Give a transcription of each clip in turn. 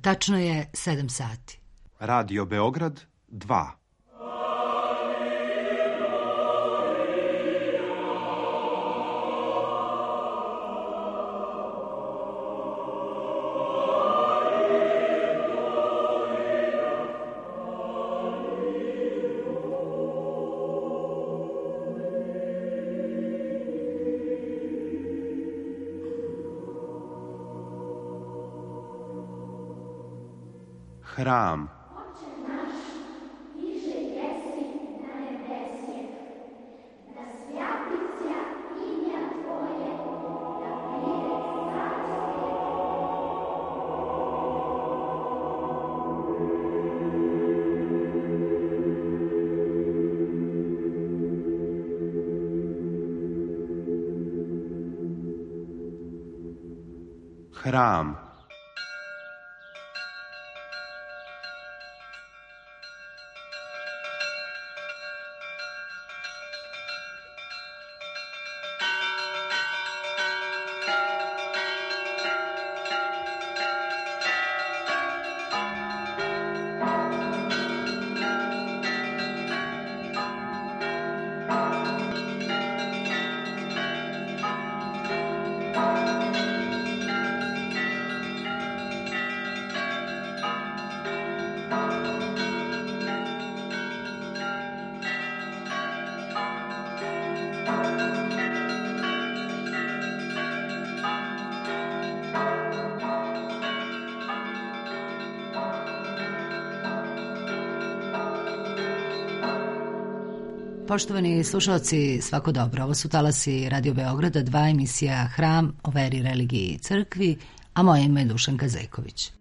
Tačno je 7 sati. Radio Beograd 2. Hram. Hram. Poštovani slušalci, svako dobro. Ovo su talasi Radio Beograda 2, emisija Hram o veri, religiji i crkvi, a moje ime je Dušanka Zeković.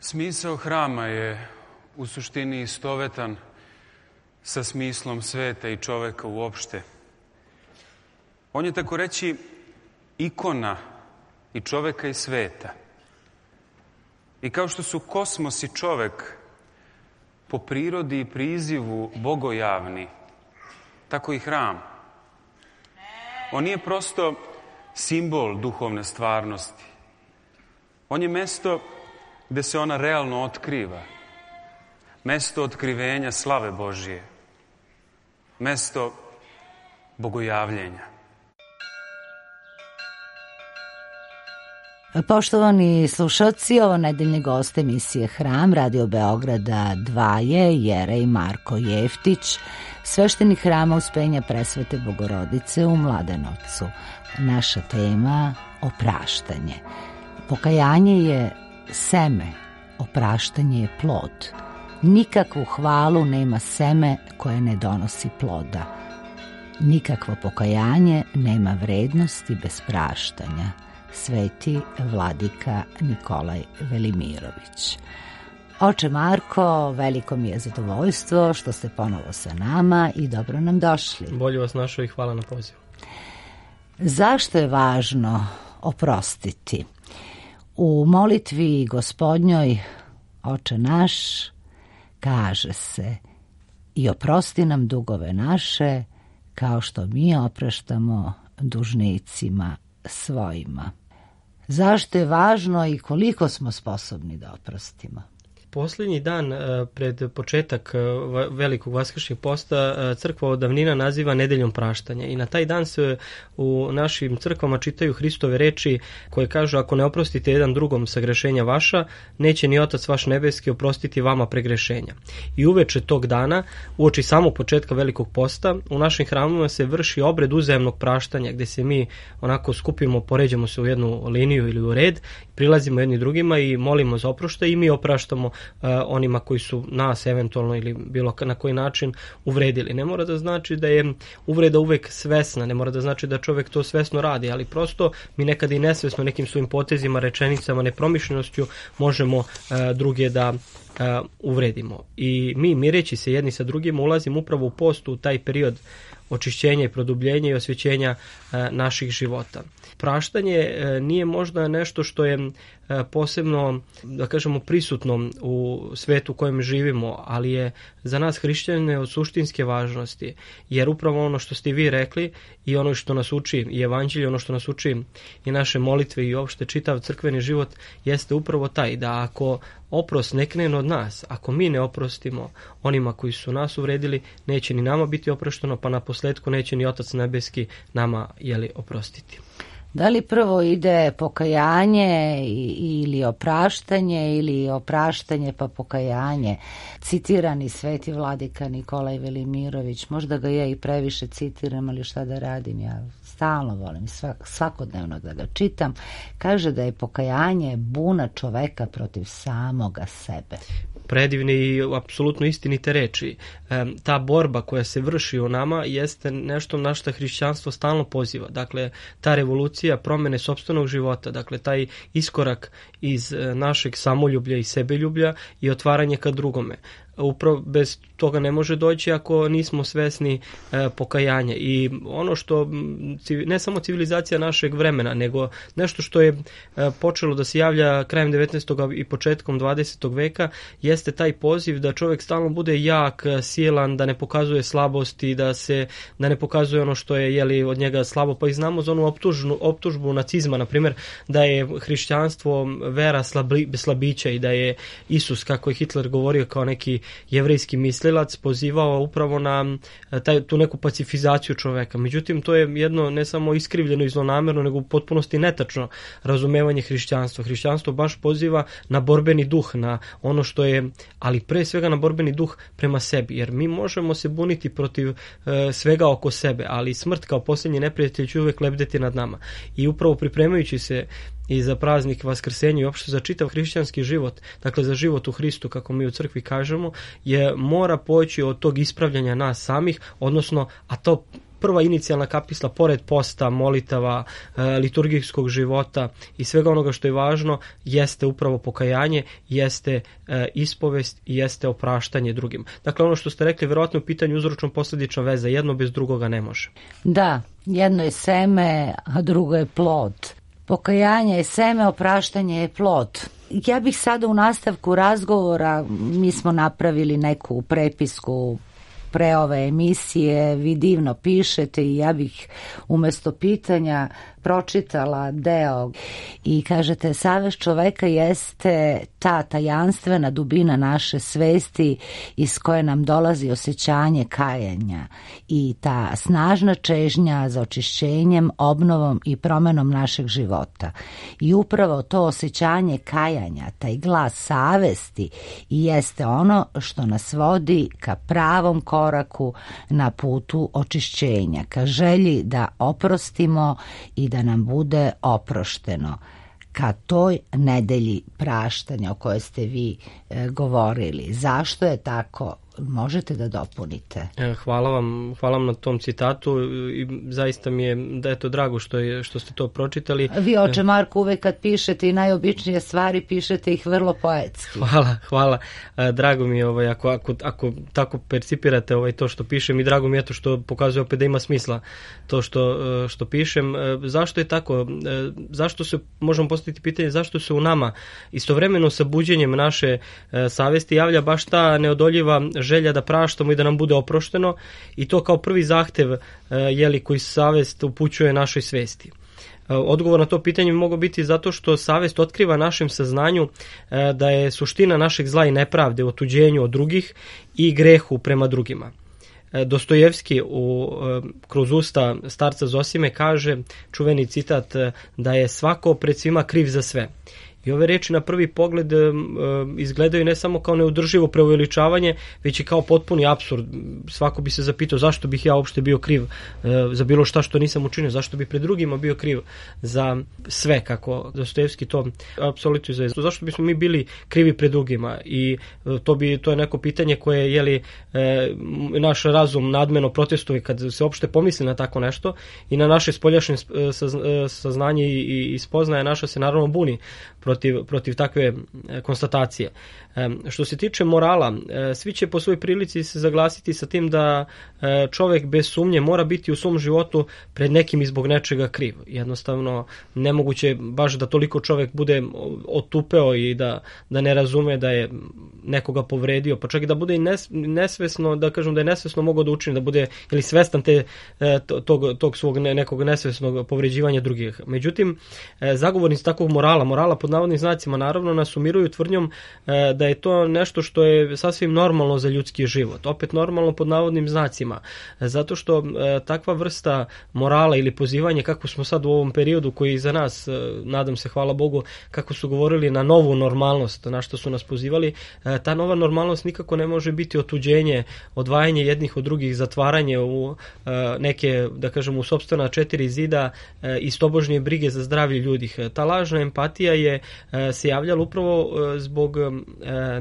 Smisao hrama je u suštini istovetan sa smislom sveta i čoveka uopšte. On je, tako reći, ikona i čoveka i sveta. I kao što su kosmos i čovek po prirodi i prizivu bogojavni, tako i hram. On nije prosto simbol duhovne stvarnosti. On je mesto gde se ona realno otkriva. Mesto otkrivenja slave Božije. Mesto bogojavljenja. Poštovani slušalci, ovo nedeljni gost emisije Hram Radio Beograda 2 je Jerej Marko Jeftić, sveštenik Hrama Uspenja Presvete Bogorodice u Mladenovcu. Naša tema opraštanje. Pokajanje je seme, opraštanje je plod. Nikakvu hvalu nema seme koje ne donosi ploda. Nikakvo pokajanje nema vrednosti bez praštanja. Sveti vladika Nikolaj Velimirović. Oče Marko, veliko mi je zadovoljstvo što ste ponovo sa nama i dobro nam došli. Bolje vas našao i hvala na pozivu. Zašto je važno oprostiti? U molitvi Gospodnjoj Oče naš kaže se: i oprosti nam dugove naše kao što mi opraštamo dužnicima svojima. Zašto je važno i koliko smo sposobni da oprostimo? Posljednji dan pred početak velikog vaskršnjeg posta crkva od davnina naziva nedeljom praštanja i na taj dan se u našim crkvama čitaju Hristove reči koje kažu: ako ne oprostite jedan drugom sagrešenja vaša, neće ni Otac vaš nebeski oprostiti vama pregrešenja. I uveče tog dana, uoči samog početka velikog posta, u našim hramovima se vrši obred uzajamnog praštanja gdje se mi onako skupimo, poređamo se u jednu liniju ili u red, prilazimo jedni drugima i molimo za oproštaj i mi opraštamo onima koji su nas eventualno ili bilo na koji način uvredili. Ne mora da znači da je uvreda uvek svesna, ne mora da znači da čovjek to svesno radi, ali prosto mi nekada i nesvesno nekim svojim potezima, rečenicama, nepromišljenošću možemo druge da uvredimo. I mi mireći se jedni sa drugima ulazimo upravo u postu, u taj period očišćenja i produbljenja i osvjećenja naših života. Praštanje nije možda nešto što je posebno, da kažemo, prisutno u svetu u kojem živimo, ali je za nas hrišćane od suštinske važnosti, jer upravo ono što ste vi rekli i ono što nas uči i evanđelje, ono što nas uči i naše molitve i uopšte čitav crkveni život jeste upravo taj da ako oprost ne krene od nas, ako mi ne oprostimo onima koji su nas uvredili, neće ni nama biti oprošteno, pa na posledku neće ni Otac nebeski nama oprostiti. Da li prvo ide pokajanje ili opraštanje ili opraštanje pa pokajanje? Citirani sveti vladika Nikolaj Velimirović, možda ga ja i previše citiram, ali šta da radim, ja stalno volim svakodnevno da ga čitam, kaže da je pokajanje buna čoveka protiv samoga sebe. Predivne i apsolutno istinite reči. Ta borba koja se vrši u nama jeste nešto na što hrišćanstvo stalno poziva. Dakle, ta revolucija promene sopstvenog života, dakle, taj iskorak iz našeg samoljublja i sebeljublja i otvaranje ka drugome. Upravo bez toga ne može doći ako nismo svesni pokajanja. I ono što ne samo civilizacija našeg vremena, nego nešto što je počelo da se javlja krajem 19. i početkom 20. veka, jeste taj poziv da čovjek stalno bude jak, silan, da ne pokazuje slabosti, da ne pokazuje ono što je od njega slabo. Pa i znamo za onu optužbu nacizma, na primjer, da je hrišćanstvo vera slabića i da je Isus, kako je Hitler govorio kao neki jevrejski mislilac, pozivao upravo na tu neku pacifizaciju čoveka. Međutim, to je jedno ne samo iskrivljeno i zlonamerno, nego u potpunosti netačno razumevanje hrišćanstva. Hrišćanstvo baš poziva na borbeni duh, na ono što je, ali pre svega na borbeni duh prema sebi, jer mi možemo se buniti protiv svega oko sebe, ali smrt kao posljednji neprijatelj će uvek lebdeti nad nama. I upravo pripremajući se i za praznik Vaskrsenja i uopšte za čitav hrišćanski život, dakle za život u Hristu, kako mi u crkvi kažemo, mora poći od tog ispravljanja nas samih, odnosno, a to prva inicijalna kapisla, pored posta, molitava, liturgijskog života i svega onoga što je važno, jeste upravo pokajanje, jeste ispovest i jeste opraštanje drugim. Dakle, ono što ste rekli, verovatno u pitanju uzročno-posledična veza, jedno bez drugoga ne može. Da, jedno je seme, a drugo je plod. Pokajanje je seme, opraštanje je plod. Ja bih sada u nastavku razgovora, mi smo napravili neku prepisku pre ove emisije, vi divno pišete i ja bih umjesto pitanja pročitala deo i kažete: savest čoveka jeste ta tajanstvena dubina naše svesti iz koje nam dolazi osjećanje kajanja i ta snažna čežnja za očišćenjem, obnovom i promenom našeg života. I upravo to osjećanje kajanja, taj glas savesti, i jeste ono što nas vodi ka pravom koraku na putu očišćenja, ka želji da oprostimo i da nam bude oprošteno, ka toj nedelji praštanja o kojoj ste vi govorili. Zašto je tako? Možete da dopunite. Hvala vam na tom citatu i zaista mi je da je to drago što ste to pročitali. Vi, oče Marko, uvek kad pišete i najobičnije stvari, pišete ih vrlo poetski. Hvala. Drago mi je ako tako percipirate to što pišem i drago mi je to što pokazuje opet da ima smisla to što pišem. Zašto je tako? Zašto se, možemo postaviti pitanje, zašto se u nama istovremeno sa buđenjem naše savesti javlja baš ta neodoljiva želja da praštamo i da nam bude oprošteno, i to kao prvi zahtev koji savest upućuje našoj svesti. Odgovor na to pitanje mogao biti zato što savest otkriva našem saznanju da je suština našeg zla i nepravde, otuđenju od drugih i grehu prema drugima. Dostojevski kroz usta starca Zosime kaže, čuveni citat, da je svako pred svima kriv za sve. I ove reči na prvi pogled izgledaju ne samo kao neudrživo preuveličavanje, već i kao potpuni apsurd. Svako bi se zapitao zašto bih ja uopšte bio kriv za bilo šta što nisam učinio, zašto bi pred drugima bio kriv za sve, kako Dostojevski to apsolutizuje. Zašto bismo mi bili krivi pred drugima? I to je neko pitanje koje naš razum nadmeno protestuje kad se uopšte pomisli na tako nešto i na naše spoljašnje saznanje i spoznaje naša se naravno buni protiv takve konstatacije. Što se tiče morala, svi će po svoj prilici se zaglasiti sa tim da čovek bez sumnje mora biti u svom životu pred nekim i zbog nečega kriv. Jednostavno, nemoguće baš da toliko čovek bude otupeo i da ne razume da je nekoga povredio, pa čak i da bude i nesvesno, da kažem da je nesvesno mogao da učini, da bude ili svestan tog svog nekog nesvesnog povređivanja drugih. Međutim, zagovornici takvog morala pod navodnim znacima, naravno nas umiruju tvrdnjom da je to nešto što je sasvim normalno za ljudski život. Opet normalno pod navodnim znacima. Zato što takva vrsta morala ili pozivanja, kako smo sad u ovom periodu koji iza nas, nadam se, hvala Bogu, kako su govorili na novu normalnost, na što su nas pozivali, ta nova normalnost nikako ne može biti otuđenje, odvajanje jednih od drugih, zatvaranje u neke, da kažem, u sopstvena 4 zida i stobožnje brige za zdravlje ljudi. Ta lažna empatija je se javljala upravo zbog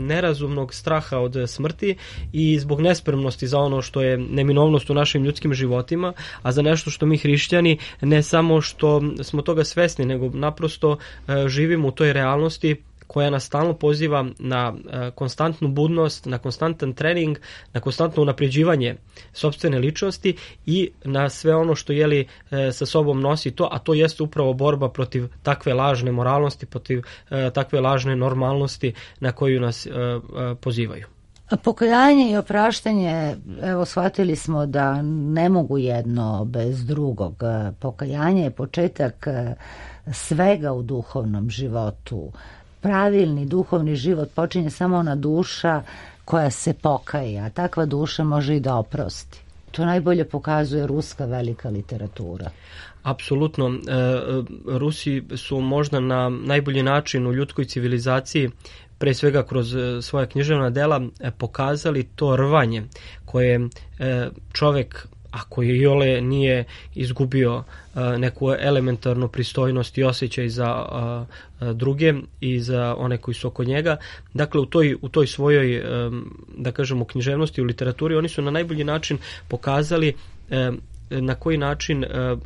nerazumnog straha od smrti i zbog nespremnosti za ono što je neminovnost u našim ljudskim životima, a za nešto što mi hrišćani ne samo što smo toga svesni, nego naprosto živimo u toj realnosti koja nas stalno poziva na konstantnu budnost, na konstantan trening, na konstantno unapređivanje sopstvene ličnosti i na sve ono što sa sobom nosi to, a to jeste upravo borba protiv takve lažne moralnosti, protiv takve lažne normalnosti na koju nas pozivaju. Pokajanje i opraštanje, evo, shvatili smo da ne mogu jedno bez drugog. Pokajanje je početak svega u duhovnom životu. Pravilni duhovni život počinje samo ona duša koja se pokaje, a takva duša može i da oprosti. To najbolje pokazuje ruska velika literatura. Apsolutno. Rusi su možda na najbolji način u ljudskoj civilizaciji, pre svega kroz svoja književna dela, pokazali to rvanje koje čovek, ako je iole nije izgubio neku elementarnu pristojnost i osjećaj za druge i za one koji su oko njega. Dakle, u toj svojoj, da kažemo, književnosti, u literaturi, oni su na najbolji način pokazali na koji način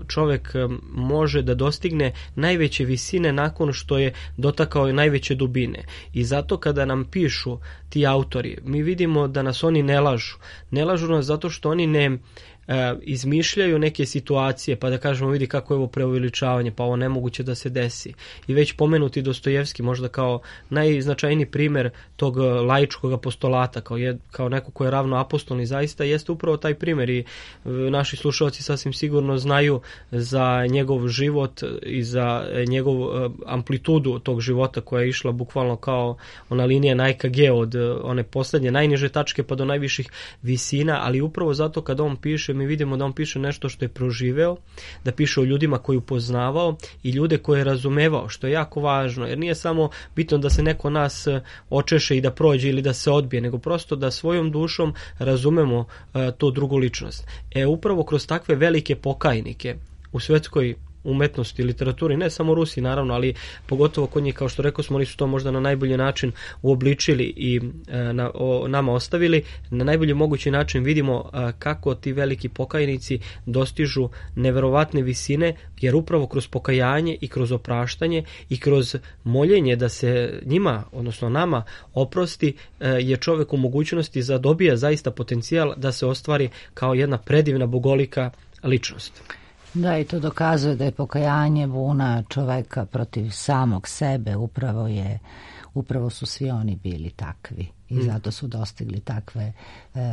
čovek može da dostigne najveće visine nakon što je dotakao najveće dubine. I zato kada nam pišu ti autori, mi vidimo da nas oni ne lažu. Ne lažu nas zato što oni ne izmišljaju neke situacije, pa da kažemo, vidi kako je ovo preuveličavanje, pa ovo nemoguće da se desi. I već pomenuti Dostojevski možda kao najznačajniji primer tog laičkog apostolata, kao neko ko je ravno apostolni, zaista jeste upravo taj primer i naši slušalci sasvim sigurno znaju za njegov život i za njegov amplitudu tog života koja je išla bukvalno kao ona linija na EKG od one poslednje najniže tačke pa do najviših visina, ali upravo zato kada on piše, mi vidimo da on piše nešto što je proživeo, da piše o ljudima koje je upoznavao i ljude koje je razumevao, što je jako važno, jer nije samo bitno da se neko nas očeše i da prođe ili da se odbije, nego prosto da svojom dušom razumemo tu drugu ličnost. Upravo kroz takve velike pokajnike u svetskoj umetnosti, literaturi, ne samo Rusi naravno, ali pogotovo kod njih, kao što rekao smo, oni su to možda na najbolji način uobličili i nama ostavili. Na najbolji mogući način vidimo kako ti veliki pokajnici dostižu neverovatne visine, jer upravo kroz pokajanje i kroz opraštanje i kroz moljenje da se njima, odnosno nama, oprosti, je čovek u mogućnosti da dobija zaista potencijal da se ostvari kao jedna predivna bogolika ličnost. Da, i to dokazuje da je pokajanje buna čoveka protiv samog sebe, upravo su svi oni bili takvi i zato su dostigli takve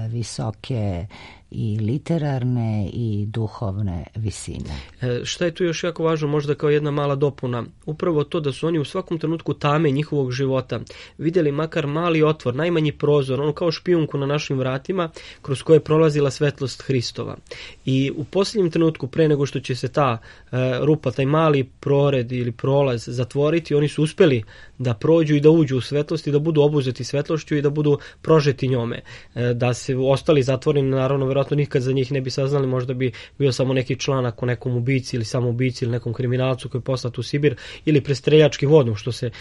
visoke i literarne i duhovne visine. Šta je tu još jako važno, možda kao jedna mala dopuna? Upravo to da su oni u svakom trenutku tame njihovog života vidjeli makar mali otvor, najmanji prozor, ono kao špijunku na našim vratima kroz koje je prolazila svetlost Hristova. I u posljednjem trenutku, pre nego što će se ta rupa, taj mali prored ili prolaz zatvoriti, oni su uspjeli da prođu i da uđu u svetlost i da budu obuzeti svetlošću i da budu prožeti njome. Da se ostali zatvoreni, naravno, vjerojatno nikad za njih ne bi saznali, možda bi bio samo neki članak o nekom ubici ili samoubici ili nekom kriminalcu koji je poslat u Sibir ili prestreljački vodom, što se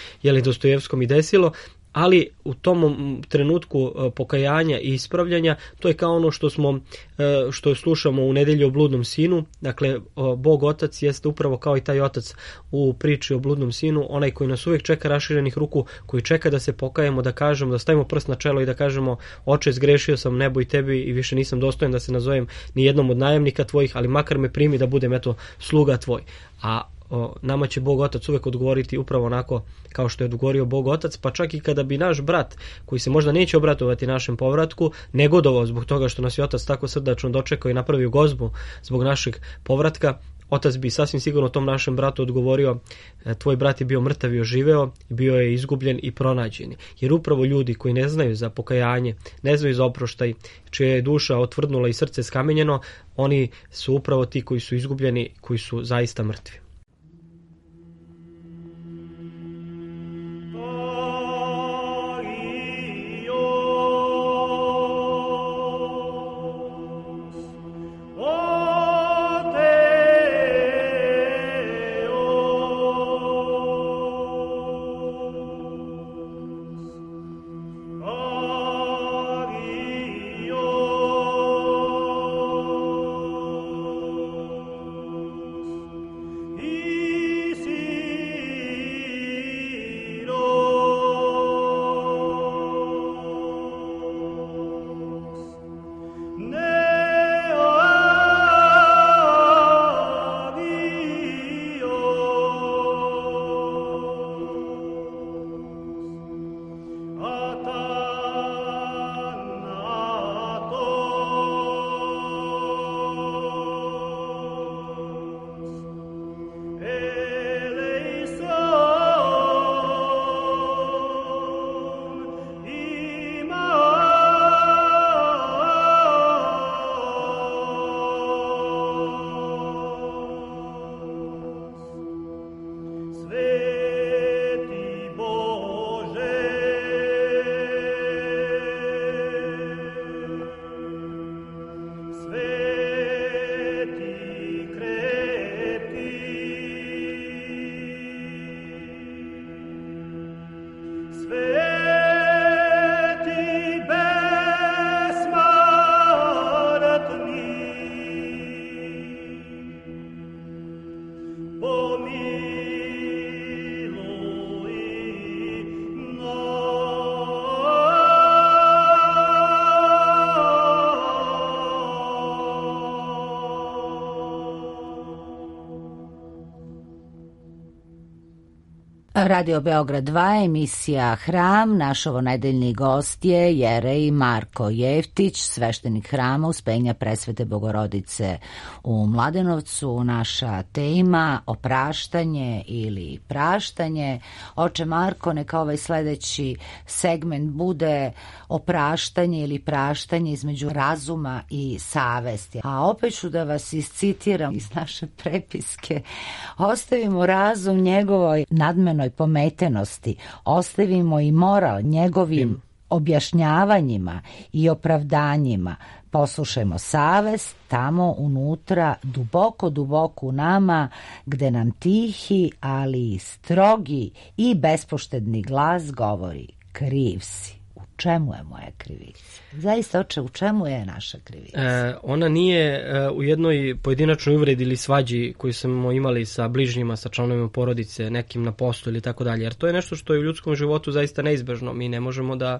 Dostojevskom i desilo. Ali u tom trenutku pokajanja i ispravljanja, to je kao ono što slušamo u Nedelji o bludnom sinu. Dakle, Bog Otac jeste upravo kao i taj otac u priči o bludnom sinu, onaj koji nas uvijek čeka raširenih ruku, koji čeka da se pokajemo, da kažemo, da stavimo prst na čelo i da kažemo: Oče, zgrešio sam nebo i tebi i više nisam dostojan da se nazovem ni jednom od najemnika tvojih, ali makar me primi da budem sluga tvoj. A nama će Bog Otac uvijek odgovoriti upravo onako kao što je odgovorio Bog Otac, pa čak i kada bi naš brat, koji se možda neće obratovati našem povratku, negodovao zbog toga što nas je Otac tako srdačno dočekao i napravio gozbu zbog našeg povratka, Otac bi sasvim sigurno tom našem bratu odgovorio: tvoj brat je bio mrtav i oživeo, bio je izgubljen i pronađen. Jer upravo ljudi koji ne znaju za pokajanje, ne znaju za oproštaj, čija je duša otvrdnula i srce skamenjeno, oni su upravo ti koji su izgubljeni, koji su zaista mrtvi. Radio Beograd 2, emisija Hram. Naš ovonedeljni gost je jerej Marko Jeftić, sveštenik hrama Uspenja Presvete Bogorodice u Mladenovcu. Naša tema opraštanje ili praštanje. Oče Marko, neka ovaj sledeći segment bude opraštanje ili praštanje između razuma i savesti. A opet ću da vas iscitiram iz naše prepiske. Ostavimo razum njegovoj nadmenoj pometenosti, ostavimo i moral njegovim objašnjavanjima i opravdanjima, poslušajmo savest tamo unutra, duboko, duboko u nama, gde nam tihi, ali strogi i bespoštedni glas govori: kriv si. U čemu je moja krivica? Zaista, oče, u čemu je naša krivica? Ona nije u jednoj pojedinačnoj uvredi ili svađi koju smo imali sa bližnjima, sa članovima porodice, nekim na poslu ili tako dalje. Jer to je nešto što je u ljudskom životu zaista neizbežno. Mi ne možemo da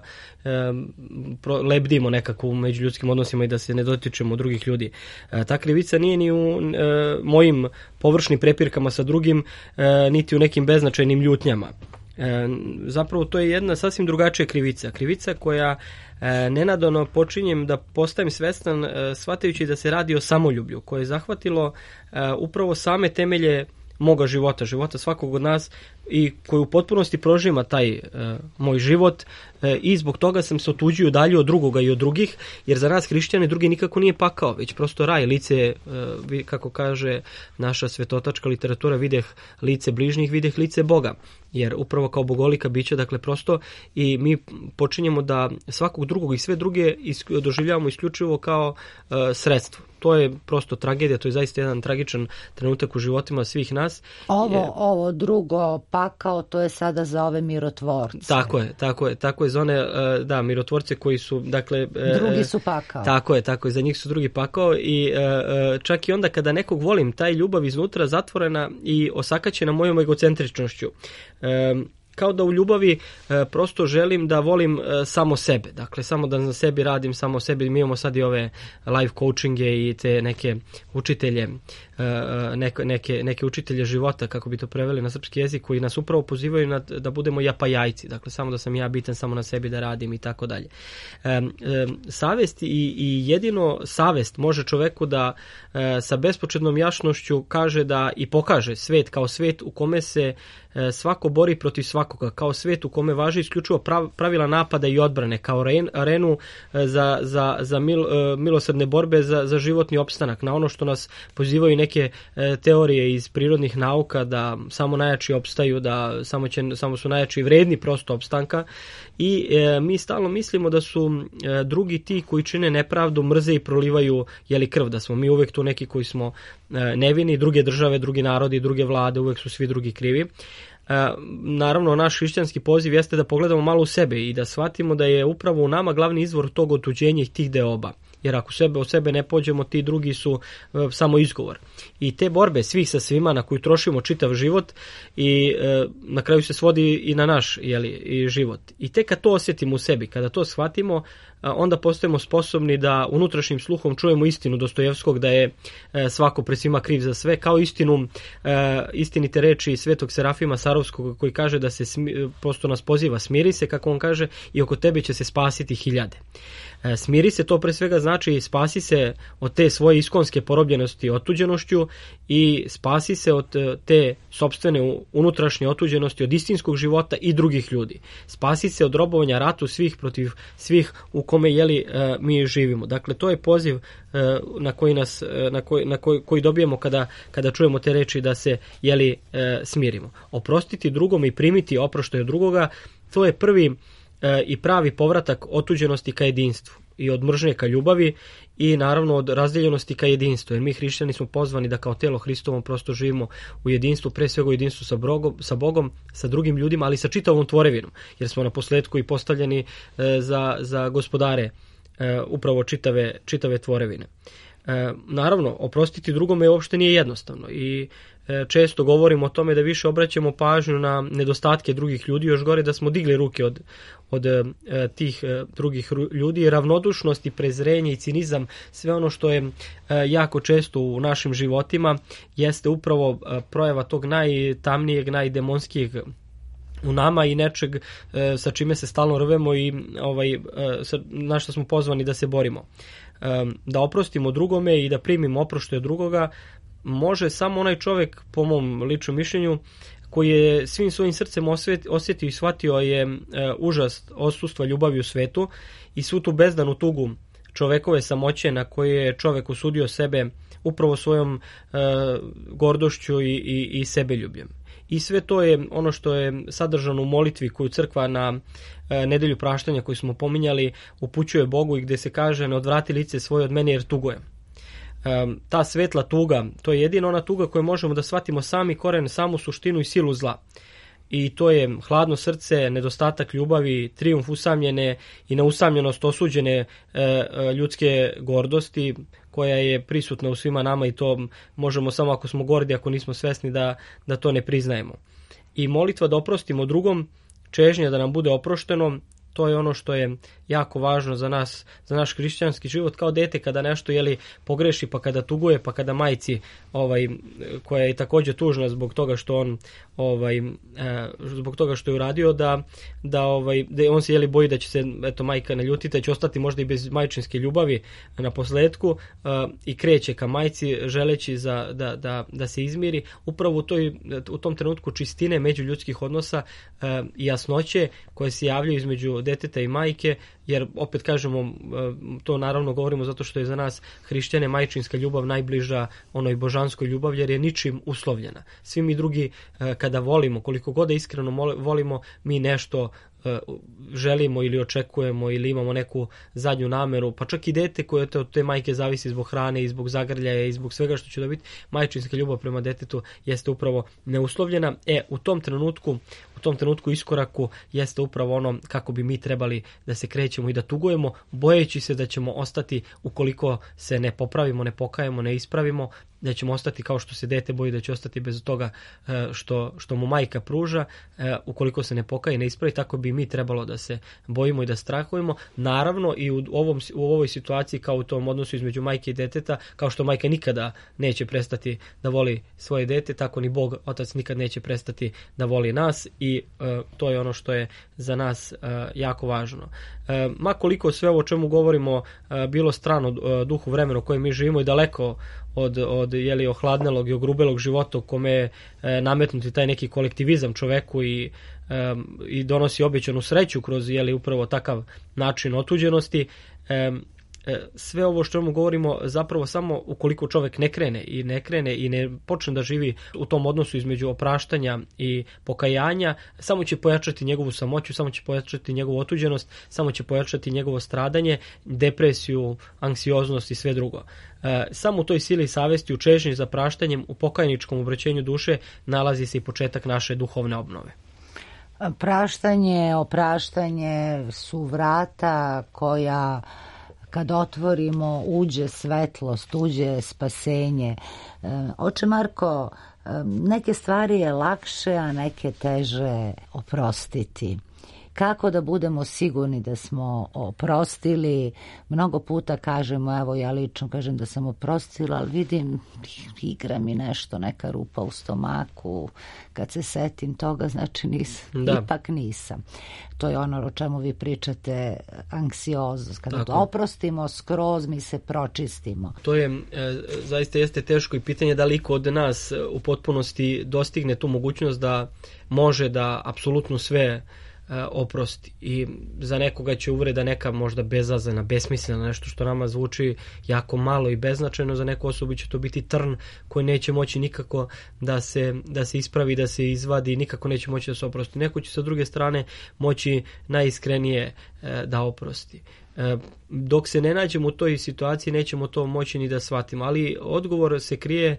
lebdimo nekako u međuljudskim odnosima i da se ne dotičemo drugih ljudi. Ta krivica nije ni u mojim površnim prepirkama sa drugim, niti u nekim beznačajnim ljutnjama. Zapravo to je jedna sasvim drugačija krivica. Krivica koja nenadano počinjem da postajem svestan shvatajući da se radi o samoljublju koje je zahvatilo upravo same temelje moga života, života svakog od nas i koji u potpunosti prožima taj moj život i zbog toga sam se otuđio dalje od drugoga i od drugih, jer za nas hrišćane drugi nikako nije pakao, već prosto raj, lice, kako kaže naša svetotačka literatura, videh lice bližnjih, videh lice Boga, jer upravo kao bogolika bića, dakle prosto i mi počinjemo da svakog drugog i sve druge doživljavamo isključivo kao sredstvo. To je prosto tragedija, to je zaista jedan tragičan trenutak u životima svih nas. Ovo drugo pakao, to je sada za ove mirotvorce. Tako je za one, mirotvorce koji su, dakle... Drugi su pakao. Tako je, za njih su drugi pakao i čak i onda kada nekog volim, taj ljubav iznutra zatvorena i osakaćena mojom egocentričnošću. Kao da u ljubavi prosto želim da volim samo sebe, dakle samo da na sebi radim, samo sebi. Mi imamo sad i ove life coachinge i te neke učitelje, neke učitelje života, kako bi to preveli na srpski jezik, koji nas upravo pozivaju da budemo japajajci, dakle samo da sam ja bitan, samo na sebi da radim i tako dalje. Savest i jedino savest može čoveku da sa bespočetnom jasnošću kaže da i pokaže svet kao svet u kome se svako bori protiv svakoga, kao svet u kome važi isključivo pravila napada i odbrane, kao arenu za milosrdne borbe za životni opstanak, na ono što nas pozivaju neke teorije iz prirodnih nauka, da samo najjači opstaju, da samo su najjači vredni prosto opstanka, i mi stalno mislimo da su drugi ti koji čine nepravdu, mrze i prolivaju krv, da smo mi uvek tu neki koji smo nevini, druge države, drugi narodi, druge vlade, uvek su svi drugi krivi. Naravno, naš hrišćanski poziv jeste da pogledamo malo u sebe i da shvatimo da je upravo u nama glavni izvor tog otuđenja i tih deoba. Jer ako od sebe ne pođemo, ti drugi su samo izgovor. I te borbe svih sa svima na koju trošimo čitav život i na kraju se svodi i na naš i život. I tek kad to osjetimo u sebi, kada to shvatimo, onda postajemo sposobni da unutrašnjim sluhom čujemo istinu Dostojevskog, da je svako pred svima kriv za sve, kao istinite reči Svetog Serafima Sarovskog koji kaže da se prosto nas poziva, smiri se, kako on kaže, i oko tebe će se spasiti hiljade. Smiri se, to pre svega znači spasi se od te svoje iskonske porobljenosti otuđenošću i spasi se od te sopstvene unutrašnje otuđenosti, od istinskog života i drugih ljudi. Spasi se od robovanja ratu svih protiv svih u kome mi živimo. Dakle, to je poziv koji dobijemo kada čujemo te reči da se smirimo. Oprostiti drugome i primiti oproštaj od drugoga, to je prvi i pravi povratak otuđenosti ka jedinstvu i od mržnje ka ljubavi i naravno od razdeljenosti ka jedinstvu, jer mi hrišćani smo pozvani da kao telo Hristovom prosto živimo u jedinstvu, pre svega u jedinstvu sa Bogom, sa drugim ljudima, ali sa čitavom tvorevinom, jer smo na posledku i postavljeni za gospodare upravo čitave tvorevine. Naravno, oprostiti drugome uopšte nije jednostavno i često govorimo o tome da više obraćamo pažnju na nedostatke drugih ljudi, još gore da smo digli ruke od tih drugih ljudi. Ravnodušnost i prezrenje i cinizam, sve ono što je jako često u našim životima, jeste upravo projava tog najtamnijeg, najdemonskijeg u nama i nečeg sa čime se stalno rvemo i na što smo pozvani da se borimo. Da oprostimo drugome i da primimo oproštaj od drugoga može samo onaj čovjek, po mom ličnom mišljenju, koji je svim svojim srcem osjetio i shvatio je užas odsustva ljubavi u svetu i svu tu bezdanu tugu čovekove samoće na koje je čovek osudio sebe upravo svojom gordošću i sebeljubljem. I sve to je ono što je sadržano u molitvi koju crkva na nedelju praštanja koju smo pominjali upućuje Bogu i gde se kaže: ne odvrati lice svoje od mene jer tugujem. Ta svetla tuga, to je jedina ona tuga koju možemo da shvatimo sami koren, samu suštinu i silu zla. I to je hladno srce, nedostatak ljubavi, trijumf usamljene i neusamljenost osuđene ljudske gordosti koja je prisutna u svima nama i to možemo samo ako smo gordi, ako nismo svesni da to ne priznajemo. I molitva da oprostimo drugom, čežnja da nam bude oprošteno, to je ono što je jako važno za nas, za naš hrišćanski život. Kao dete kada nešto pogreši, pa kada tuguje, pa kada majci koja je također tužna zbog toga što on zbog toga što je uradio, da on se boji da će se majka naljutiti, da će ostati možda i bez majčinske ljubavi na posledku, i kreće ka majci želeći da se izmiri. Upravo u tom trenutku čistine međuljudskih odnosa i jasnoće koje se javljaju između deteta i majke, jer opet kažemo, to naravno govorimo zato što je za nas hrišćane majčinska ljubav najbliža onoj božanskoj ljubav, jer je ničim uslovljena. Svi mi drugi kada volimo, koliko god da iskreno volimo, mi nešto želimo ili očekujemo ili imamo neku zadnju nameru, pa čak i dete koje od te majke zavisi zbog hrane i zbog zagrljaja i zbog svega što će dobiti, majčinska ljubav prema detetu jeste upravo neuslovljena. U tom trenutku iskoraku jeste upravo ono kako bi mi trebali da se krećemo i da tugujemo, bojeći se da ćemo ostati, ukoliko se ne popravimo, ne pokajemo, ne ispravimo, da ćemo ostati kao što se dete boji da će ostati bez toga što mu majka pruža. Ukoliko se ne pokaje i ne ispravi, tako bi mi trebalo da se bojimo i da strahujemo. Naravno i u ovoj situaciji, kao u tom odnosu između majke i deteta, kao što majka nikada neće prestati da voli svoje dete, tako ni Bog, Otac, nikad neće prestati da voli nas, i to je ono što je za nas jako važno. Ma koliko sve ovo o čemu govorimo bilo strano duhu vremena u kojem mi živimo i daleko od ohladnelog i ogrubelog života u kome je nametnuti taj neki kolektivizam čoveku i donosi obećanu sreću kroz upravo takav način otuđenosti. Sve ovo što mu govorimo zapravo samo ukoliko čovjek ne krene i ne počne da živi u tom odnosu između opraštanja i pokajanja, samo će pojačati njegovu samoću, samo će pojačati njegovu otuđenost, samo će pojačati njegovo stradanje, depresiju, anksioznost i sve drugo. Samo u toj sili savesti, u čežnji za praštanjem, u pokajničkom obraćenju duše nalazi se i početak naše duhovne obnove. Praštanje, opraštanje su vrata koja, kad otvorimo, uđe svetlost, uđe spasenje. Oče Marko, neke stvari je lakše, a neke teže oprostiti. Kako da budemo sigurni da smo oprostili? Mnogo puta kažemo, evo ja lično kažem da sam oprostila, ali vidim, igra mi nešto, neka rupa u stomaku, kad se setim toga, znači ipak nisam. To je ono o čemu vi pričate, anksioznost. Kada to oprostimo skroz, mi se pročistimo. To je, zaista jeste teško i pitanje da li iko od nas u potpunosti dostigne tu mogućnost da može da apsolutno sve oprosti. I za nekoga će uvreda neka možda bezazlena, besmislena, nešto što nama zvuči jako malo i beznačajno, za neku osobu će to biti trn koji neće moći nikako da se ispravi, da se izvadi, nikako neće moći da se oprosti. Neko će sa druge strane moći najiskrenije da oprosti. Dok se ne nađemo u toj situaciji, nećemo to moći ni da shvatimo, ali odgovor se krije,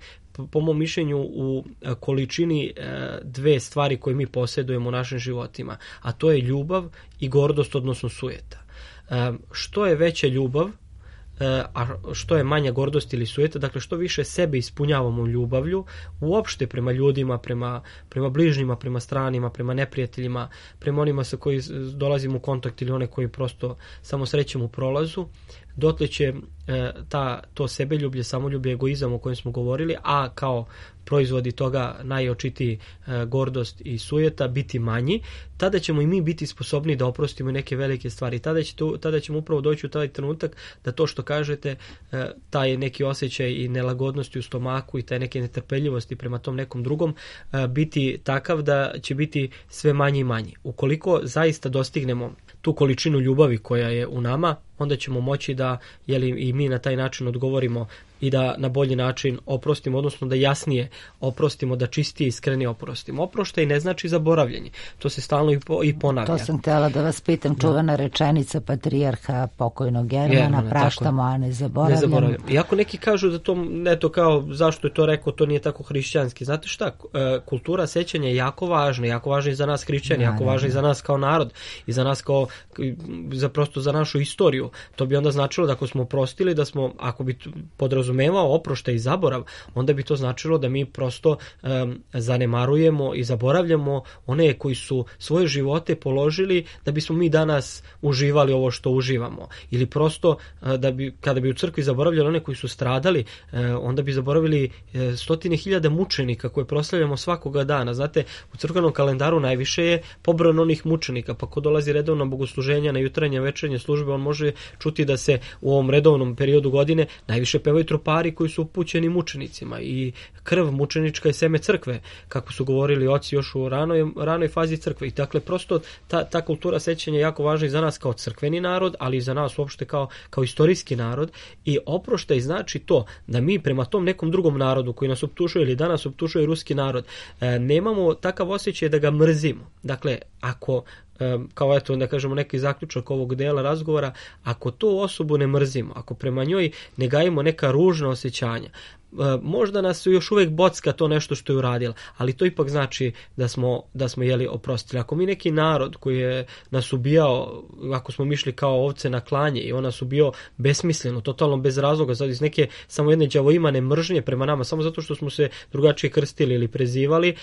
po mom mišljenju, u količini dve stvari koje mi posjedujemo u našim životima, a to je ljubav i gordost, odnosno sujeta. Što je veća ljubav, a što je manja gordost ili sujeta, dakle što više sebe ispunjavamo ljubavlju, uopšte prema ljudima, prema bližnjima, prema stranima, prema neprijateljima, prema onima sa koji dolazimo u kontakt ili one koji prosto samo srećemo u prolazu, dotle će to sebeljublje, samoljublje, egoizam o kojem smo govorili, a kao proizvodi toga najočitiji gordost i sujeta biti manji, tada ćemo i mi biti sposobni da oprostimo neke velike stvari. Tada ćemo upravo doći u taj trenutak da to što kažete, taj neki osjećaj i nelagodnosti u stomaku i taj neke netrpeljivosti prema tom nekom drugom biti takav da će biti sve manji i manji. Ukoliko zaista dostignemo tu količinu ljubavi koja je u nama, onda ćemo moći da i mi na taj način odgovorimo i da na bolji način oprostimo, odnosno da jasnije oprostimo, da čistije i iskrenije oprostimo. Oproštaj ne znači zaboravljanje. To se stalno i ponavlja. To sam htjela da vas pitam, čuvena rečenica patrijarha pokojnog Germana, praštamo, a ne zaboravljamo. Iako neki kažu da to, eto kao, zašto je to rekao, to nije tako hrišćanski. Znate šta, kultura sećanja je jako važna i za nas hrišćani, jako važna i za nas kao narod i za nas prosto za našu istoriju. oprošćaju. To bi onda značilo da ako smo oprostili, da smo, ako bi podrazumevao oproštaj i zaborav, onda bi to značilo da mi prosto zanemarujemo i zaboravljamo one koji su svoje živote položili da bismo mi danas uživali ovo što uživamo. Ili prosto kada bi u crkvi zaboravljali one koji su stradali, onda bi zaboravili stotine hiljada mučenika koje proslavljamo svakoga dana. Znate, u crkvenom kalendaru najviše je pobrojano onih mučenika, pa ko dolazi redovno na bogosluženja, na jutarnje, večernje službe, on može čuti da se u ovom redovnom periodu godine najviše pevaju tropari koji su upućeni mučenicima i krv mučenička je seme crkve, kako su govorili oci još u ranoj fazi crkve. I dakle, prosto ta kultura sećanja je jako važna i za nas kao crkveni narod, ali i za nas uopšte kao istorijski narod. I oproštaj znači to da mi prema tom nekom drugom narodu koji nas optužuje ili danas optužuje ruski narod, nemamo takav osjećaj da ga mrzimo. Dakle, ako kao eto da kažemo neki zaključak ovog dela razgovora, ako tu osobu ne mrzimo, ako prema njoj ne gajimo neka ružna osjećanja, možda nas još uvijek bocka to nešto što je uradila, ali to ipak znači da smo jeli oprostili. Ako mi neki narod koji je nas ubijao, ako smo mišli kao ovce na klanje i on nas ubio besmisleno, totalno bez razloga, sad iz neke samo jedne đavoimane mržnje prema nama, samo zato što smo se drugačije krstili ili prezivali,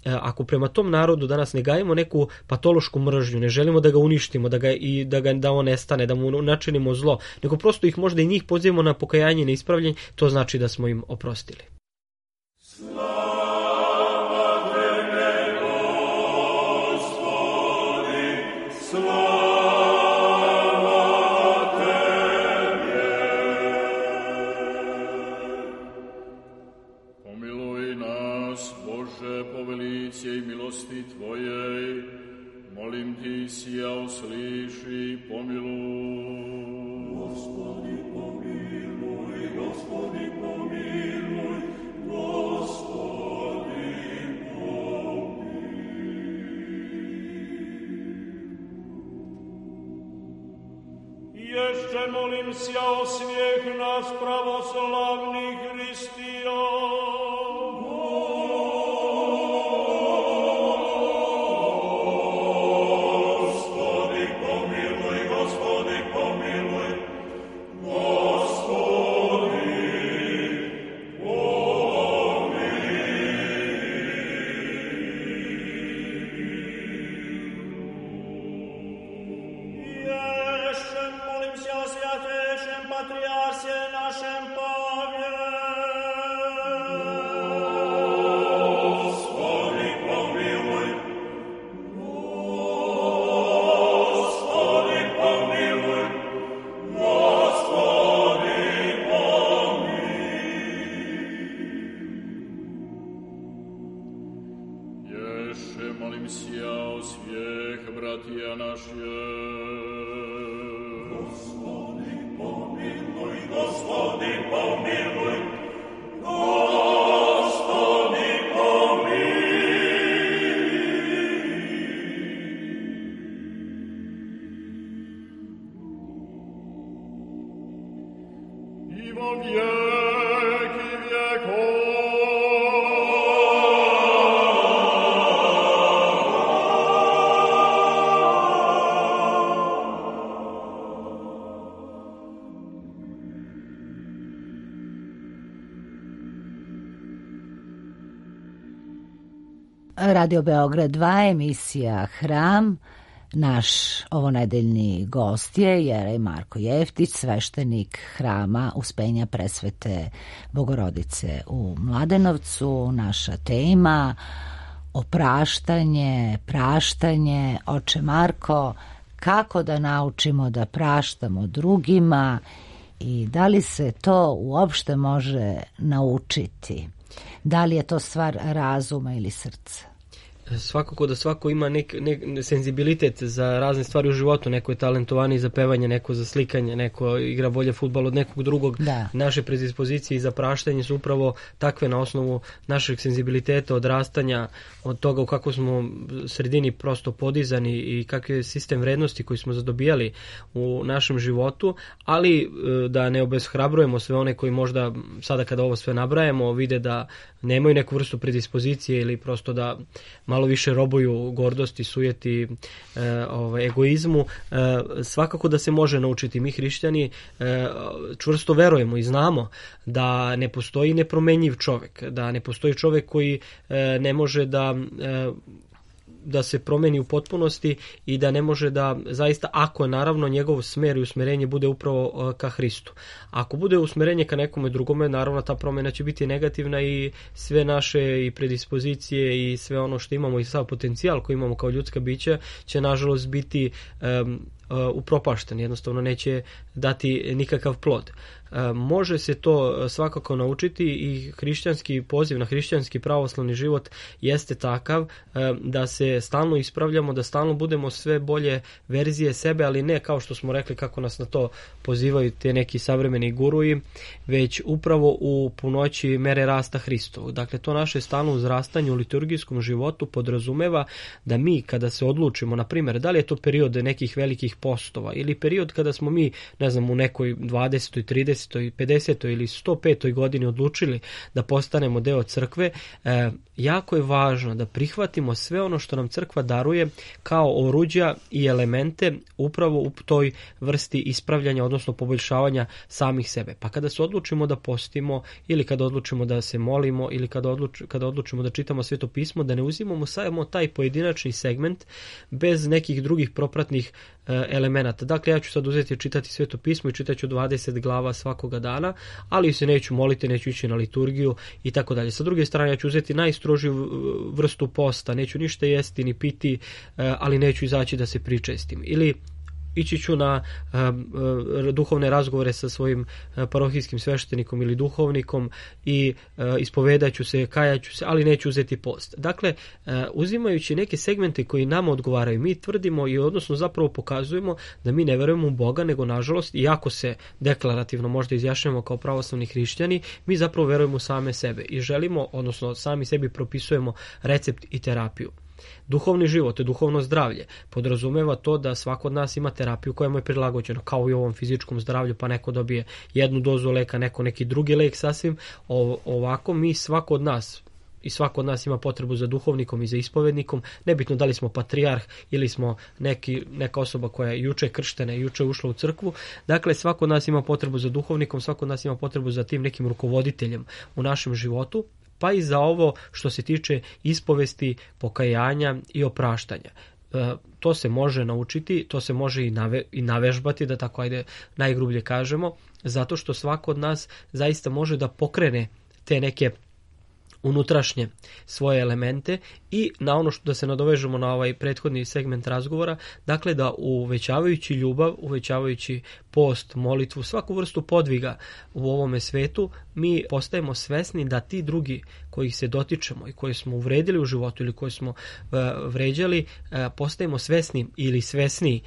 ako prema tom narodu danas ne gajimo neku patološku mržnju, ne želimo da ga uništimo, da on nestane, da mu načinimo zlo, nego prosto ih možda i njih pozivamo na pokajanje i na ispravljanje, to znači da smo im oprostili. i milosti Tvojej, molim Ti sija usliši, pomiluj. Gospodi pomiluj, Gospodi pomiluj, Gospodi pomiluj. Jeszcze molim sija o smijeh nas pravoslavnih hristijan. Radio Beograd 2, emisija Hram. Naš ovonedeljni gost je jerej Marko Jeftić, sveštenik Hrama Uspenja Presvete Bogorodice u Mladenovcu. Naša tema opraštanje, praštanje. Oče Marko, kako da naučimo da praštamo drugima i da li se to uopšte može naučiti? Da li je to stvar razuma ili srca? Svakako da svako ima senzibilitet za razne stvari u životu. Neko je talentovaniji za pevanje, neko za slikanje, neko igra bolje fudbal od nekog drugog. Da. Naše predispozicije za praštanje su upravo takve na osnovu našeg senzibiliteta, odrastanja, od toga u kako smo sredini prosto podizani i kakav je sistem vrednosti koji smo zadobijali u našem životu, ali da ne obeshrabrujemo sve one koji možda sada kada ovo sve nabrajemo vide da nemaju neku vrstu predispozicije ili prosto da malo malo više robuju gordosti, sujeti, egoizmu. Svakako da se može naučiti. Mi hrišćani čvrsto verujemo i znamo da ne postoji nepromenjiv čovjek, da ne postoji čovjek koji ne može da se promeni u potpunosti i da ne može da zaista, ako je naravno njegov smer i usmerenje bude upravo ka Hristu. Ako bude usmerenje ka nekome drugome, naravno ta promjena će biti negativna i sve naše i predispozicije i sve ono što imamo i sav potencijal koji imamo kao ljudska bića će nažalost biti upropašten, jednostavno neće dati nikakav plod. Može se to svakako naučiti i hrišćanski poziv na hrišćanski pravoslavni život jeste takav da se stalno ispravljamo, da stalno budemo sve bolje verzije sebe, ali ne kao što smo rekli kako nas na to pozivaju te neki savremeni guruji, već upravo u punoći mere rasta Hristovog. Dakle, to naše stalno uzrastanje u liturgijskom životu podrazumeva da mi kada se odlučimo, na primjer, da li je to period nekih velikih postova ili period kada smo mi, ne znam, u nekoj 20. 30. 50. ili 105. godini odlučili da postanemo deo crkve, jako je važno da prihvatimo sve ono što nam crkva daruje kao oruđa i elemente upravo u toj vrsti ispravljanja, odnosno poboljšavanja samih sebe. Pa kada se odlučimo da postimo ili kada odlučimo da se molimo ili kada odlučimo da čitamo Sveto pismo, da ne uzimamo samo taj pojedinačni segment bez nekih drugih propratnih elemenata. Dakle, ja ću sad uzeti i čitati Sveto pismo i čitat ću 20 glava svakoga dana, ali se neću moliti, neću ići na liturgiju i tako dalje. Sa druge strane, ja ću uzeti najstrožiju vrstu posta, neću ništa jesti ni piti, ali neću izaći da se pričestim. Ili ići ću na duhovne razgovore sa svojim parohijskim sveštenikom ili duhovnikom i ispovedat ću se, kajat ću se, ali neću uzeti post. Dakle, uzimajući neke segmente koji nama odgovaraju, mi tvrdimo i odnosno zapravo pokazujemo da mi ne verujemo u Boga, nego nažalost, iako se deklarativno možda izjašnjavamo kao pravoslavni hrišćani, mi zapravo verujemo u same sebe i želimo, odnosno sami sebi propisujemo recept i terapiju. Duhovni život, duhovno zdravlje podrazumeva to da svako od nas ima terapiju koja mu je prilagođena, kao i u ovom fizičkom zdravlju, pa neko dobije jednu dozu leka, neko neki drugi lek sasvim. Ovako mi svako od nas i svako od nas ima potrebu za duhovnikom i za ispovednikom, nebitno da li smo patrijarh ili smo neka osoba koja je juče krštena i juče ušla u crkvu. Dakle, svako od nas ima potrebu za duhovnikom, svako od nas ima potrebu za tim nekim rukovoditeljem u našem životu, pa i za ovo što se tiče ispovesti, pokajanja i opraštanja. To se može naučiti, to se može i navežbati, da tako najgrublje kažemo, zato što svako od nas zaista može da pokrene te neke unutrašnje svoje elemente i na ono što da se nadovežemo na ovaj prethodni segment razgovora, dakle da uvećavajući ljubav, uvećavajući post, molitvu, svaku vrstu podviga u ovome svetu, mi postajemo svesni da ti drugi kojih se dotičemo i koji smo uvredili u životu ili koji smo vređali, postajemo svesni ili svesniji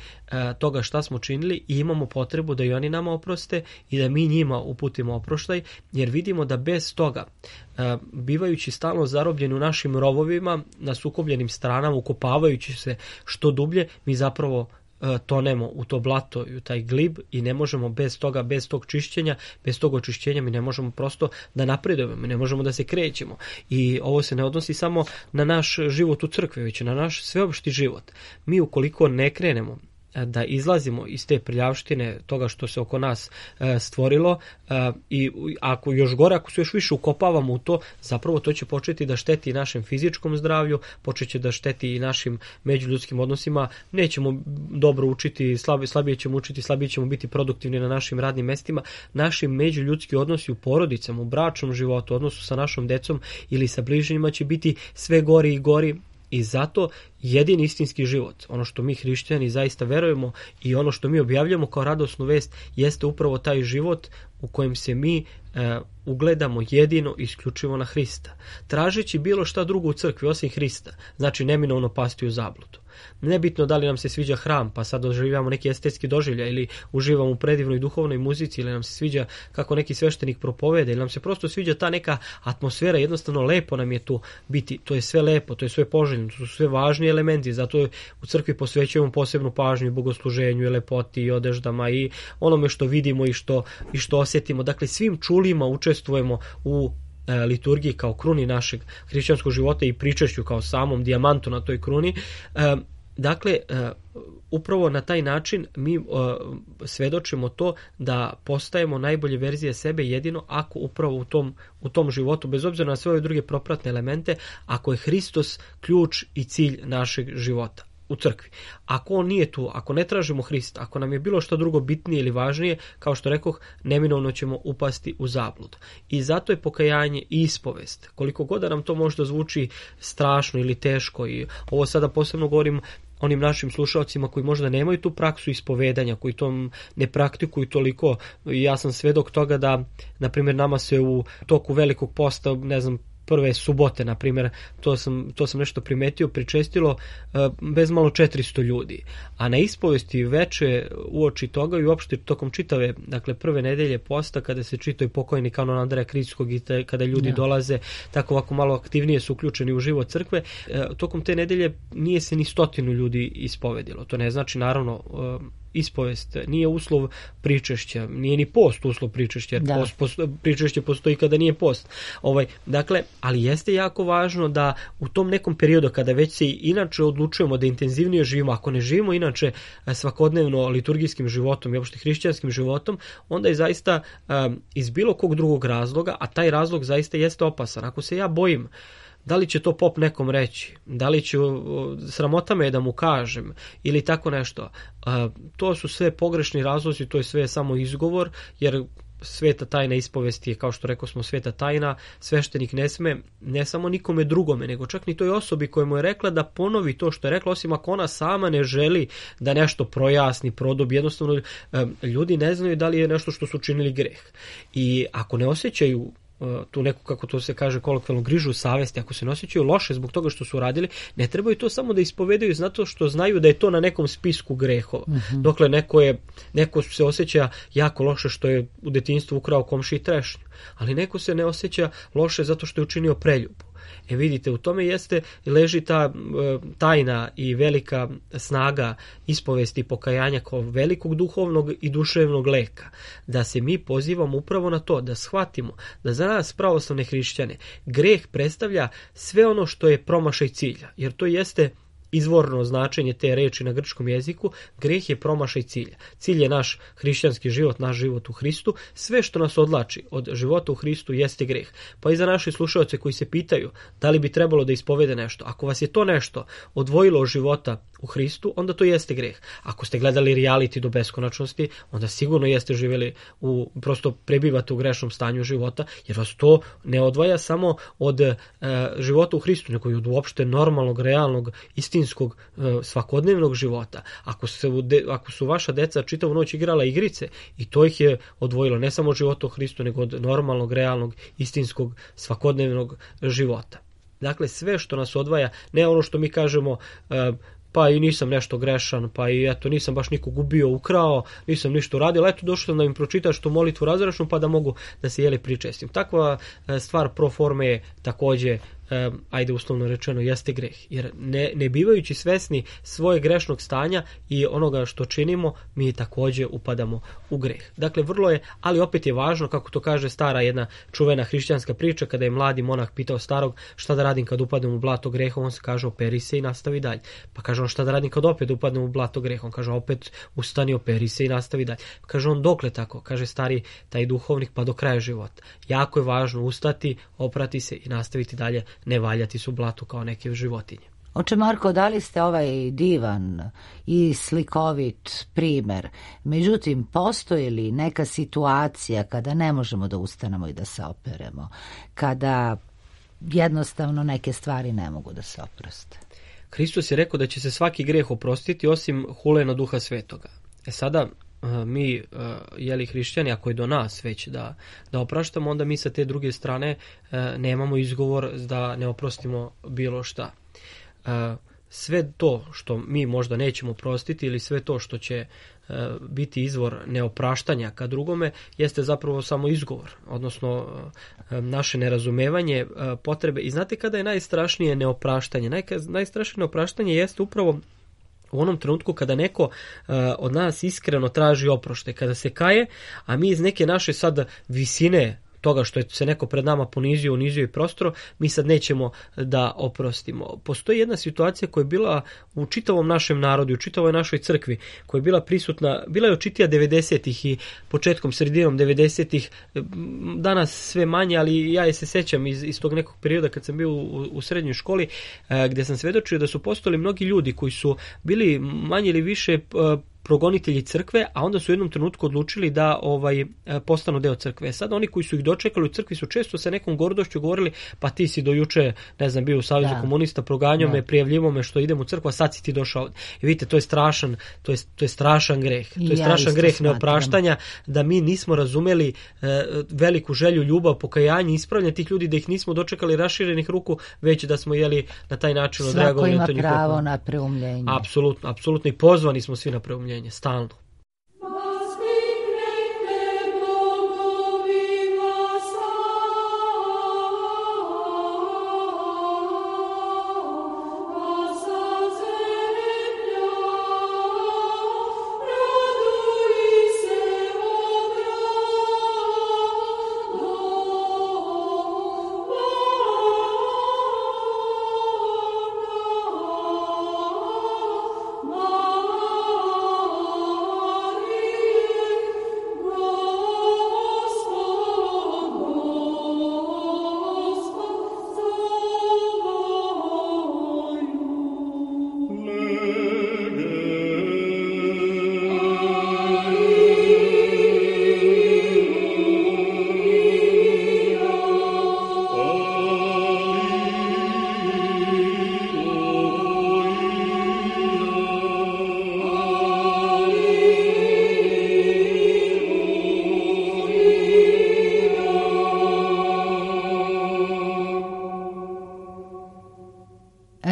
toga šta smo činili i imamo potrebu da i oni nama oproste i da mi njima uputimo oproštaj, jer vidimo da bez toga, bivajući stalno zarobljeni u našim rovovima, na sukobljenim stranama, ukopavajući se što dublje, mi zapravo tonemo u to blato i u taj glib i ne možemo bez toga, bez tog čišćenja, bez tog očišćenja mi ne možemo prosto da napredujemo, mi ne možemo da se krećemo. I ovo se ne odnosi samo na naš život u crkvi, već na naš sveopšti život. Mi ukoliko ne krenemo da izlazimo iz te prljavštine toga što se oko nas stvorilo i ako još gore, ako se još više ukopavamo u to, zapravo to će početi da šteti našem fizičkom zdravlju, počet će da šteti i našim međuljudskim odnosima, nećemo dobro učiti, slabije ćemo učiti, slabije ćemo biti produktivni na našim radnim mestima, naši međuljudski odnosi u porodicama, u bračnom životu, odnosu sa našom decom ili sa bližnjima će biti sve gori i gori. I zato jedini istinski život, ono što mi hrišćani zaista verujemo i ono što mi objavljamo kao radosnu vest, jeste upravo taj život u kojem se mi ugledamo jedino i isključivo na Hrista. Tražeći bilo šta drugo u crkvi osim Hrista, znači neminovno pasti u zabludu. Nebitno da li nam se sviđa hram, pa sad doživljamo neki estetski doživljaj ili uživamo u predivnoj duhovnoj muzici ili nam se sviđa kako neki sveštenik propoveda ili nam se prosto sviđa ta neka atmosfera, jednostavno lepo nam je tu biti, to je sve lepo, to je sve poželjno, to su sve važni elementi, zato u crkvi posvećujemo posebnu pažnju i bogosluženju i lepoti i odeždama i onome što vidimo i što osjetimo. Dakle, svim čulima učestvujemo u liturgiji kao kruni našeg hrišćanskog života i pričešću kao samom dijamantu na toj kruni. Dakle, upravo na taj način mi svedočimo to da postajemo najbolje verzije sebe jedino ako upravo u tom životu, bez obzira na sve ove druge propratne elemente, ako je Hristos ključ i cilj našeg života u crkvi. Ako on nije tu, ako ne tražimo Hrista, ako nam je bilo što drugo bitnije ili važnije, kao što rekoh, neminovno ćemo upasti u zabludu. I zato je pokajanje i ispovest. Koliko god da nam to možda zvuči strašno ili teško, i ovo sada posebno govorim onim našim slušalcima koji možda nemaju tu praksu ispovedanja, koji to ne praktikuju toliko. Ja sam svedok toga da, na primjer, nama se u toku velikog posta, ne znam, prve subote, na primjer, to sam nešto primetio, pričestilo bezmalo 400 ljudi. A na ispovesti veče uoči toga i uopšte tokom čitave, dakle, prve nedelje posta, kada se čitao pokojni kanon Andreja Krickog i kada ljudi dolaze, tako ovako malo aktivnije su uključeni u život crkve, tokom te nedelje nije se ni 100 ljudi ispovedilo. To ne znači, naravno, ispovest nije uslov pričešća, nije ni post uslov pričešća, jer pričešće postoji kada nije post. Dakle, ali jeste jako važno da u tom nekom periodu kada već se inače odlučujemo da intenzivnije živimo, ako ne živimo inače svakodnevno liturgijskim životom i uopšte hrišćanskim životom, onda je zaista iz bilo kog drugog razloga, a taj razlog zaista jeste opasan. Ako se ja bojim da li će to pop nekom reći, da li će sramota me da mu kažem ili tako nešto, to su sve pogrešni razlozi, to je sve samo izgovor, jer sveta tajna ispovesti je, kao što rekao smo, sveta tajna. Sveštenik ne sme ne samo nikome drugome, nego čak ni toj osobi koja mu je rekla da ponovi to što je rekla, osim ako ona sama ne želi da nešto projasni, produbi. Jednostavno, ljudi ne znaju da li je nešto što su učinili greh. I ako ne osjećaju tu neku, kako to se kaže kolokvijalno, grižu savesti, ako se ne osjećaju loše zbog toga što su uradili, ne trebaju to samo da ispovedaju zato što znaju da je to na nekom spisku grehova. Dokle neko se osjeća jako loše što je u detinjstvu ukrao komšiji trešnju, ali neko se ne osjeća loše zato što je učinio preljubu. Vidite, u tome leži ta tajna i velika snaga ispovesti i pokajanja kao velikog duhovnog i duševnog leka. Da se mi pozivamo upravo na to, da shvatimo da za nas pravoslavne hrišćane greh predstavlja sve ono što je promašaj cilja, jer to jeste izvorno značenje te reči na grčkom jeziku. Greh je promašaj cilja. Cilj je naš hrišćanski život, naš život u Hristu. Sve što nas odlači od života u Hristu jeste greh. Pa i za naše slušaoce koji se pitaju da li bi trebalo da ispovede nešto, ako vas je to nešto odvojilo od života u Hristu, onda to jeste greh. Ako ste gledali reality do beskonačnosti, onda sigurno jeste živjeli prosto prebivate u grešnom stanju života, jer vas to ne odvaja samo od života u Hristu, nego i od uopšte normalnog, realnog, istinskog, svakodnevnog života. Ako su vaša deca čitavu noć igrala igrice, i to ih je odvojilo ne samo od života u Hristu, nego od normalnog, realnog, istinskog, svakodnevnog života. Dakle, sve što nas odvaja, ne ono što mi kažemo, pa i nisam nešto grešan, pa i eto nisam baš nikog ubio, ukrao, nisam ništa uradio, eto došao sam da im pročitaš tu molitvu razračnu pa da mogu da se pričestim. Takva stvar pro forme je također, ajde uslovno rečeno, jeste greh. Jer ne bivajući svesni svoje grešnog stanja i onoga što činimo, mi također upadamo u greh. Dakle, vrlo je, ali opet je važno, kako to kaže stara jedna čuvena hrišćanska priča, kada je mladi monah pitao starog šta da radim kad upadnem u blato greha, on se kaže operi se i nastavi dalje. Pa kaže on šta da radim kad opet upadnem u blato greha, on kaže opet ustani, operi se i nastavi dalje. Pa kaže on dokle tako, kaže stari taj duhovnik, pa do kraja života. Jako je važno ustati, oprati se i nastaviti dalje, ne valjati su blatu kao neke životinje. Oče Marko, dali ste ovaj divan i slikovit primer. Međutim, postoji li neka situacija kada ne možemo da ustanemo i da se operemo? Kada jednostavno neke stvari ne mogu da se oproste? Hristos je rekao da će se svaki greh oprostiti osim hule na Duha Svetoga. Sada mi, hrišćani, ako je do nas već da opraštamo, onda mi sa te druge strane nemamo izgovor da ne oprostimo bilo šta. Sve to što mi možda nećemo oprostiti ili sve to što će biti izvor neopraštanja ka drugome jeste zapravo samo izgovor, odnosno naše nerazumevanje potrebe. I znate kada je najstrašnije neopraštanje? Najstrašnije neopraštanje jeste upravo u onom trenutku kada neko od nas iskreno traži oproštaj, kada se kaje, a mi iz neke naše sad visine toga što je se neko pred nama ponizio, unizio i prostro, mi sad nećemo da oprostimo. Postoji jedna situacija koja je bila u čitavom našem narodu, u čitavoj našoj crkvi, koja je bila prisutna, bila je očitija 90-ih i početkom, sredinom 90-ih, danas sve manje, ali ja je se sećam iz tog nekog perioda kad sam bio u srednjoj školi, gdje sam svedočio da su postojali mnogi ljudi koji su bili manje ili više progonitelji crkve, a onda su u jednom trenutku odlučili da postanu deo crkve. Sad oni koji su ih dočekali u crkvi su često sa nekom gordošću govorili, pa ti si do juče, ne znam, bio u Savezu komunista, proganjao me, prijavljivo me što idem u crkvu, a sad si ti došao. I vidite, to je strašan, to je strašan greh. To je strašan greh neopraštanja, da mi nismo razumeli veliku želju, ljubav, pokajanje, ispravljanje tih ljudi, da ih nismo dočekali raširenih ruku, već da smo na taj način odreagovali na to njihovo. Svako ima pravo na preumljenje. Apsolutno i pozvani smo svi na preumljenje. Stalno.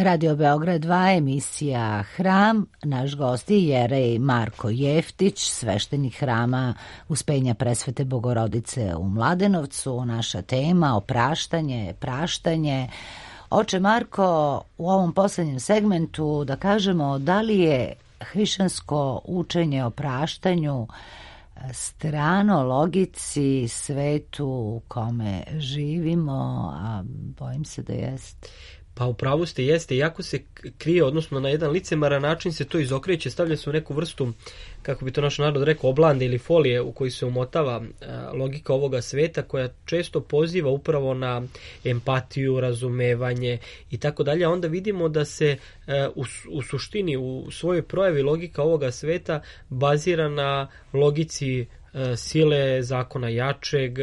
Radio Beograd 2, emisija Hram. Naš gost je jerej Marko Jeftić, sveštenik hrama Uspenja Presvete Bogorodice u Mladenovcu. Naša tema opraštanje, praštanje. Oče Marko, u ovom posljednjem segmentu da kažemo da li je hrišćansko učenje o praštanju strano logici, svetu u kome živimo, a bojim se da jest. Pa u pravu ste, jeste, jako se krije, odnosno na jedan licemaran način se to izokreće, stavlja se u neku vrstu, kako bi to naš narod rekao, oblande ili folije u koji se umotava logika ovoga sveta, koja često poziva upravo na empatiju, razumevanje i tako dalje, a onda vidimo da se u suštini, u svojoj projavi logika ovoga sveta bazira na logici sile, zakona jačeg,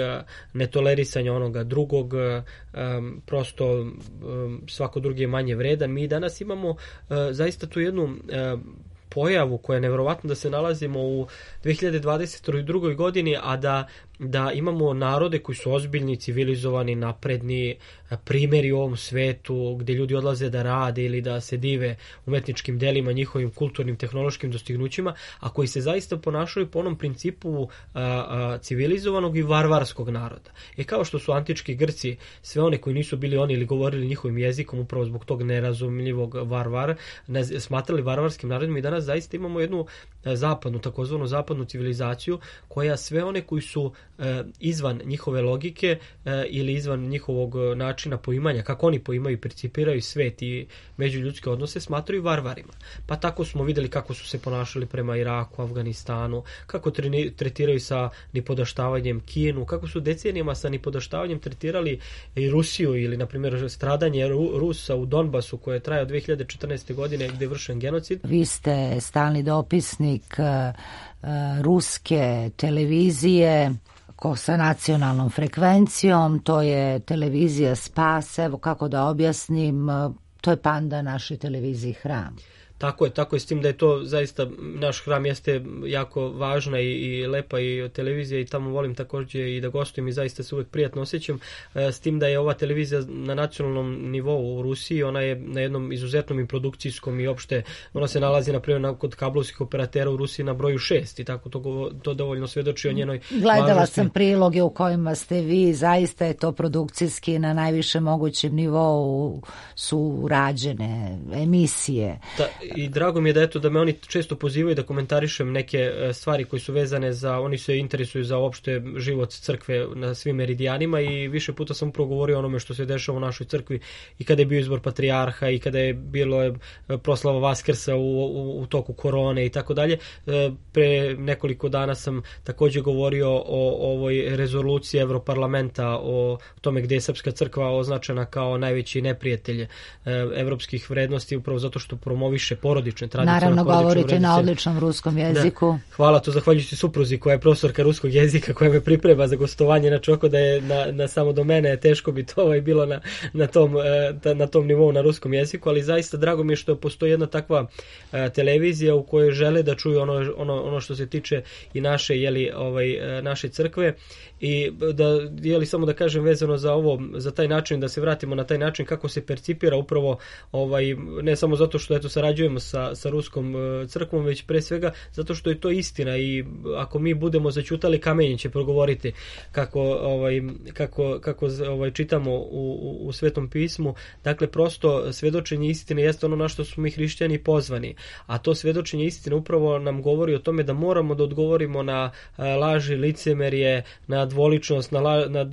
netolerisanja onoga drugog, prosto svako drugi je manje vredan. Mi danas imamo zaista tu jednu pojavu koja je nevjerovatno da se nalazimo u 2022. godini, a da imamo narode koji su ozbiljni, civilizovani, napredni, primjeri u ovom svetu gdje ljudi odlaze da rade ili da se dive umetničkim delima, njihovim kulturnim, tehnološkim dostignućima, a koji se zaista ponašaju po onom principu civilizovanog i varvarskog naroda. Kao što su antički Grci, sve one koji nisu bili oni ili govorili njihovim jezikom, upravo zbog tog nerazumljivog smatrali varvarskim narodima, i danas zaista imamo jednu zapadnu, takozvanu zapadnu civilizaciju, koja sve one koji su izvan njihove logike ili izvan njihovog načina poimanja, kako oni poimaju i percipiraju svet i međuljudske odnose, smatraju varvarima. Pa tako smo videli kako su se ponašali prema Iraku, Afganistanu, kako tretiraju sa nipodaštavanjem Kinu, kako su decenijama sa nipodaštavanjem tretirali i Rusiju, ili na primjer stradanje Rusa u Donbasu koje traje od 2014. godine gdje je vršen genocid. Vi ste stalni dopisnik ruske televizije sa nacionalnom frekvencijom, to je televizija Spas, evo kako da objasnim, to je panda našoj televiziji Hram. Tako je, s tim da je to zaista, naš Hram jeste jako važna i lepa i televizija, i tamo volim također i da gostujem i zaista se uvijek prijatno osjećam, s tim da je ova televizija na nacionalnom nivou u Rusiji, ona je na jednom izuzetnom i produkcijskom i opšte, ona se nalazi na primjer kod kablovskih operatera u Rusiji na broju 6 i tako to dovoljno svjedoči o njenoj Gledala važnosti. Sam priloge u kojima ste vi, zaista je to produkcijski na najvišem mogućem nivou su rađene emisije. I drago mi je da eto da me oni često pozivaju da komentarišem neke stvari koji su vezane za, oni se interesuju za uopšte život crkve na svim meridijanima i više puta sam upravo govorio o onome što se dešava u našoj crkvi i kada je bio izbor patrijarha i kada je bilo proslava Vaskrsa u toku korone i tako dalje. Pre nekoliko dana sam takođe govorio o ovoj rezoluciji Evroparlamenta o tome gde je srpska crkva označena kao najveći neprijatelj evropskih vrednosti upravo zato što promoviše porodične tradicije. Naravno govorite na odličnom ruskom jeziku. Da. Hvala, to zahvaljujući supruzi koja je profesorka ruskog jezika koja me priprema za gostovanje, znači oko da je na samo do mene teško bi to bilo na tom nivou na ruskom jeziku, ali zaista drago mi je što postoji jedna takva televizija u kojoj žele da čuju ono što se tiče i naše naše crkve i da samo da kažem vezano za taj način, da se vratimo na taj način kako se percipira upravo ne samo zato što eto sarađujemo sa ruskom crkvom, već pre svega zato što je to istina i ako mi budemo zaćutali, kamenje će progovoriti kako čitamo u Svetom pismu. Dakle, prosto svedočenje istine jeste ono na što smo mi hrišćani pozvani, a to svedočenje istine upravo nam govori o tome da moramo da odgovorimo na laži, licemerje, na dvoličnost, na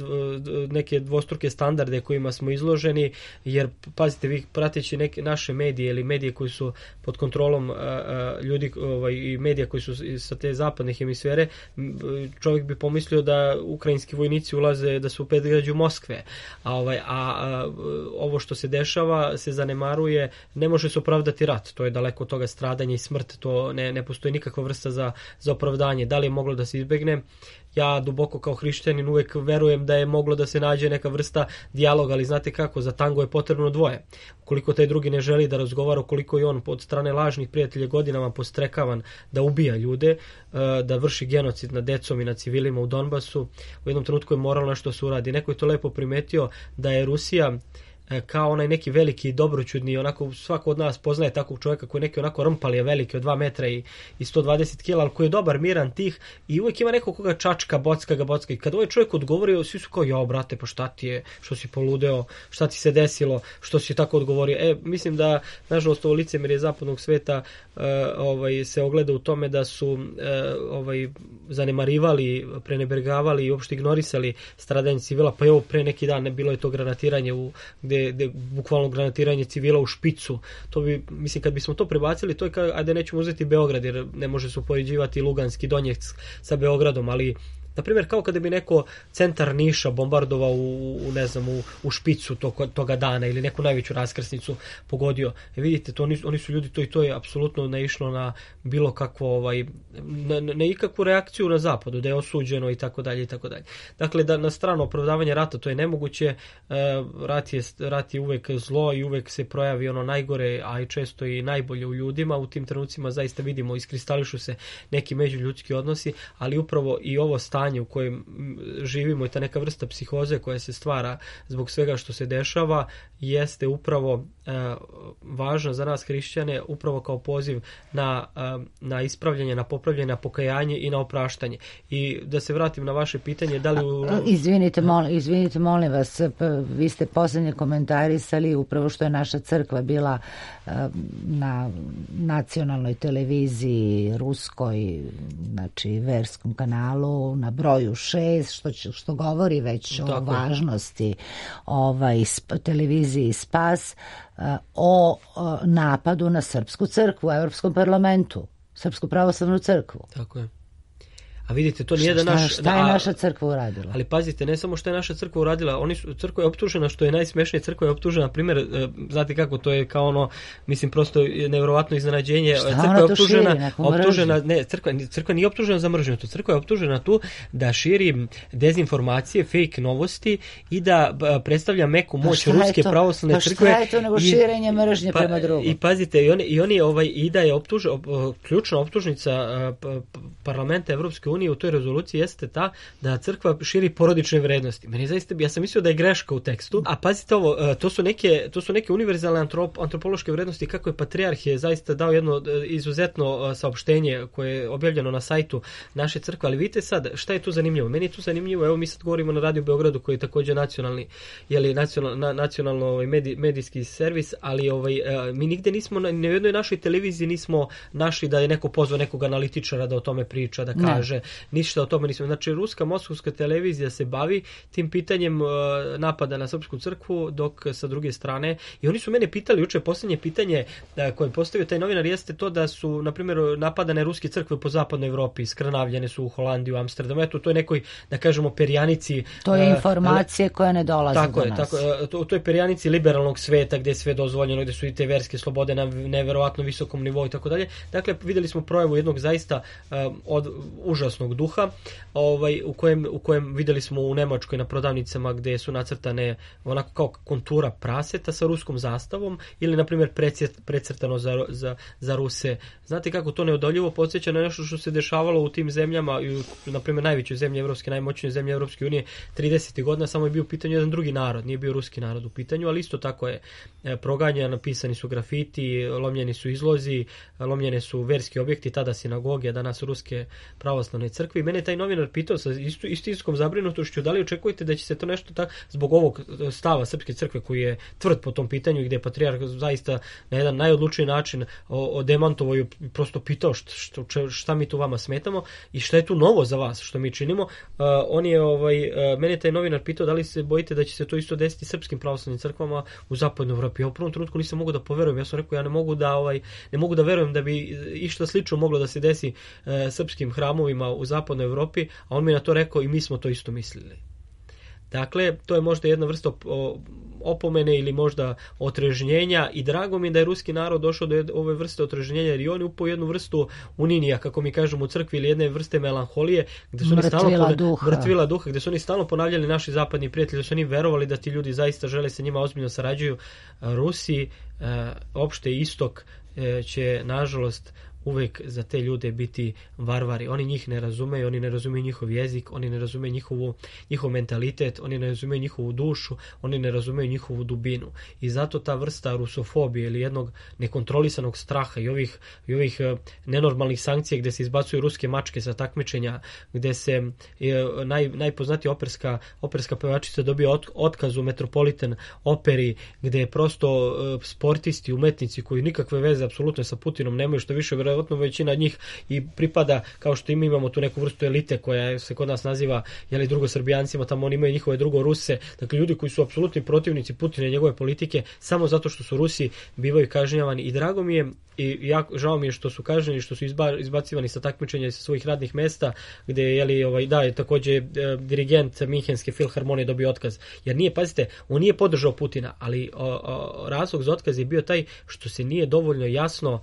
neke dvostruke standarde kojima smo izloženi, jer pazite, vi prateći neke naše medije ili medije koji su pod kontrolom ljudi i medija koji su sa te zapadne hemisfere, čovjek bi pomislio da ukrajinski vojnici ulaze, da su u predgrađu Moskve, a ovo što se dešava se zanemaruje, ne može se opravdati rat, to je daleko od toga, stradanje i smrt, to ne postoji nikakva vrsta za opravdanje. Da li je moglo da se izbegne? Ja duboko kao hrišćanin uvek verujem da je moglo da se nađe neka vrsta dijaloga, ali znate kako, za tango je potrebno dvoje. Ukoliko taj drugi ne želi da razgovara, ukoliko je on od strane lažnih prijatelja godinama postrekavan da ubija ljude, da vrši genocid nad decom i nad civilima u Donbasu, u jednom trenutku je moralo nešto se uradi. Neko je to lepo primetio da je Rusija kao onaj neki veliki dobroćudni, onako svako od nas poznaje takvog čovjeka koji je neki onako rmpalije veliki od 2 metra i 120 kila, ali koji je dobar, miran, tih i uvijek ima neko koga čačka, bocka i kad ovaj čovjek odgovorio, svi su kao, jao brate, pa šta ti je, što si poludeo, šta ti se desilo, što si tako odgovorio. Mislim da, nažalost, ovo licemerje zapadnog sveta se ogleda u tome da su zanemarivali, prenebergavali i uopšte ignorisali stradanje civila, pa evo pre neki dan bilo je to granatiranje gde bukvalno granatiranje civila u špicu. To bi, mislim, kad bismo to prebacili, to je kao, ajde nećemo uzeti Beograd, jer ne može se upoređivati Luganski Donjeck sa Beogradom, ali na primjer, kao kada bi neko centar Niša bombardovao u špicu toga dana ili neku najveću raskrsnicu pogodio. Vidite, oni su ljudi, to i to je apsolutno naišlo na bilo kakvo, na ikakvu reakciju na zapadu, da je osuđeno i tako dalje i tako dalje. Dakle, da na stranu opravdavanje rata to je nemoguće, rat je uvek zlo i uvek se projavi ono najgore, a i često i najbolje u ljudima. U tim trenucima zaista vidimo, iskristališu se neki međuljudski odnosi, ali upravo i ovo stanje u kojem živimo i ta neka vrsta psihoze koja se stvara zbog svega što se dešava jeste upravo važna za nas hrišćane, upravo kao poziv na ispravljanje, na popravljanje, na pokajanje i na opraštanje. I da se vratim na vaše pitanje, da li... Izvinite, molim vas, vi ste poslednje komentarisali upravo što je naša crkva bila na nacionalnoj televiziji ruskoj, znači verskom kanalu, na broju 6, što govori već o važnosti televiziji Spas, o napadu na srpsku crkvu u Evropskom parlamentu, Srpsku pravoslavnu crkvu. Tako je. A vidite, to nije šta je naša crkva uradila? Ali pazite, ne samo što je naša crkva uradila, crkva je optužena, što je najsmešnije, crkva je optužena, na primjer, znate kako, to je kao ono, mislim, prosto nevjerovatno iznenađenje. Šta ona to širi, neku mržnju? Ne, crkva nije optužena za mržnju, crkva je optužena tu da širi dezinformacije, fake novosti i da predstavlja meku moć ruske pravoslavne crkve. Pa šta je to nego širenje mržnje prema drugom? I pazite, i da je ključna optužnica parlamenta Evropske unije u toj rezoluciji jeste ta da crkva širi porodične vrednosti. Meni zaista, ja sam mislio da je greška u tekstu, a pazite ovo, to su neke univerzalne antropološke vrednosti, kako je patrijarh je zaista dao jedno izuzetno saopštenje koje je objavljeno na sajtu naše crkve, ali vidite sad, šta je tu zanimljivo? Meni je tu zanimljivo, evo mi sad govorimo na Radio Beogradu koji je također nacionalni, nacionalno medijski servis, ali mi nigde nismo, na jednoj našoj televiziji nismo našli da je neko pozvao nekog analitičara da o tome priča, da kaže, ništa o tome nismo. Znači, ruska moskovska televizija se bavi tim pitanjem napada na srpsku crkvu, dok sa druge strane, i oni su mene pitali, juče posljednje pitanje koje je postavio taj novinar jeste to da su, na primjer, napadane ruske crkve po zapadnoj Evropi, skrnavljene su u Holandiju, Amsterdamu, eto, to je nekoj, da kažemo, perjanici. To je informacije koje ne dolaze do nas. Tako je, to je perjanici liberalnog sveta gde je sve dozvoljeno, gde su i te verske slobode na neverovatno visokom nivou i tako dalje. Dakle, videli smo projavu jednog zaista užasnog duha, u kojem videli smo u Nemačkoj na prodavnicama gde su nacrtane onako kao kontura praseta sa ruskom zastavom ili, na primjer, precrtano za Ruse. Znate kako to neodoljivo podsjeća na nešto što se dešavalo u tim zemljama, na primjer, najvećoj zemlji evropske, najmoćnije zemlje Evropske unije 30. godina, samo je bio u pitanju jedan drugi narod, nije bio ruski narod u pitanju, ali isto tako je proganjan, napisani su grafiti, lomljeni su izlozi, lomljene su verski objekti, tada sinagoge, a danas ruske pravoslavne crkve. I mene taj novinar pitao sa istinskom zabrinutošću da li očekujete da će se to nešto tako, zbog ovog stava srpske crkve koji je tvrd po tom pitanju, gde je patrijarh zaista na jedan najodlučniji način demantovao i prosto pitao šta mi tu vama smetamo i šta je tu novo za vas što mi činimo. On je, mene taj novinar pitao da li se bojite da će se to isto desiti srpskim pravoslavnim crkvama u zapadnoj Evropi. Ja u prvom trenutku nisam mogao da poverujem. Ja sam rekao, ja ne mogu da verujem da bi išta slično moglo da se desi srpskim hramovima u zapadnoj Evropi, a on mi je na to rekao i mi smo to isto mislili. Dakle, to je možda jedna vrsta opomene ili možda otrežnjenja i drago mi je da je ruski narod došao do ove vrste otrežnjenja, jer i oni upao jednu vrstu uninija, kako mi kažemo u crkvi, ili jedne vrste melanholije, gde su mrtvila duha, gde su oni stalno ponavljali, naši zapadni prijatelji, da su oni verovali da ti ljudi zaista žele sa njima ozbiljno sarađuju. Rusi, opšte istok, će nažalost uvek za te ljude biti varvari. Oni njih ne razumeju, oni ne razumeju njihov jezik, oni ne razumeju njihov mentalitet, oni ne razumeju njihovu dušu, oni ne razumeju njihovu dubinu. I zato ta vrsta rusofobije ili jednog nekontrolisanog straha i ovih nenormalnih sankcija gde se izbacuju ruske mačke sa takmičenja, gde se najpoznatija operska pevačica dobije otkaz u Metropolitan operi, gde je prosto sportisti, umetnici koji nikakve veze apsolutno sa Putinom nemaju, što više vjerojatno većina njih i pripada, kao što imamo tu neku vrstu elite koja se kod nas naziva drugosrbijancima, tamo oni imaju njihove drugoruse, dakle ljudi koji su apsolutni protivnici Putina i njegove politike, samo zato što su Rusi bivaju kažnjavani. I drago mi je i žao mi je što su kažnjeni, što su izbacivani sa takmičenja i sa svojih radnih mesta, gde je također dirigent Minhenske filharmonije dobio otkaz, jer nije, pazite, on nije podržao Putina, ali razlog za otkaz je bio taj što se nije dovoljno jasno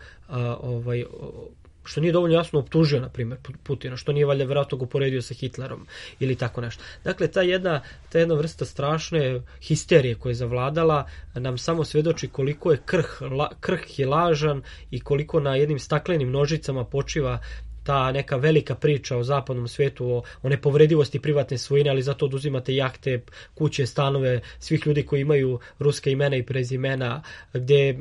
optužio, na primjer, Putina, što nije valjda vjerojatno ga uporedio sa Hitlerom ili tako nešto. Dakle, ta jedna vrsta strašne histerije koja je zavladala nam samo svedoči koliko je krh i lažan i koliko na jednim staklenim nožicama počiva ta neka velika priča o zapadnom svetu, o nepovredivosti privatne svojine, ali zato oduzimate jahte, kuće, stanove svih ljudi koji imaju ruska imena i prezimena, gde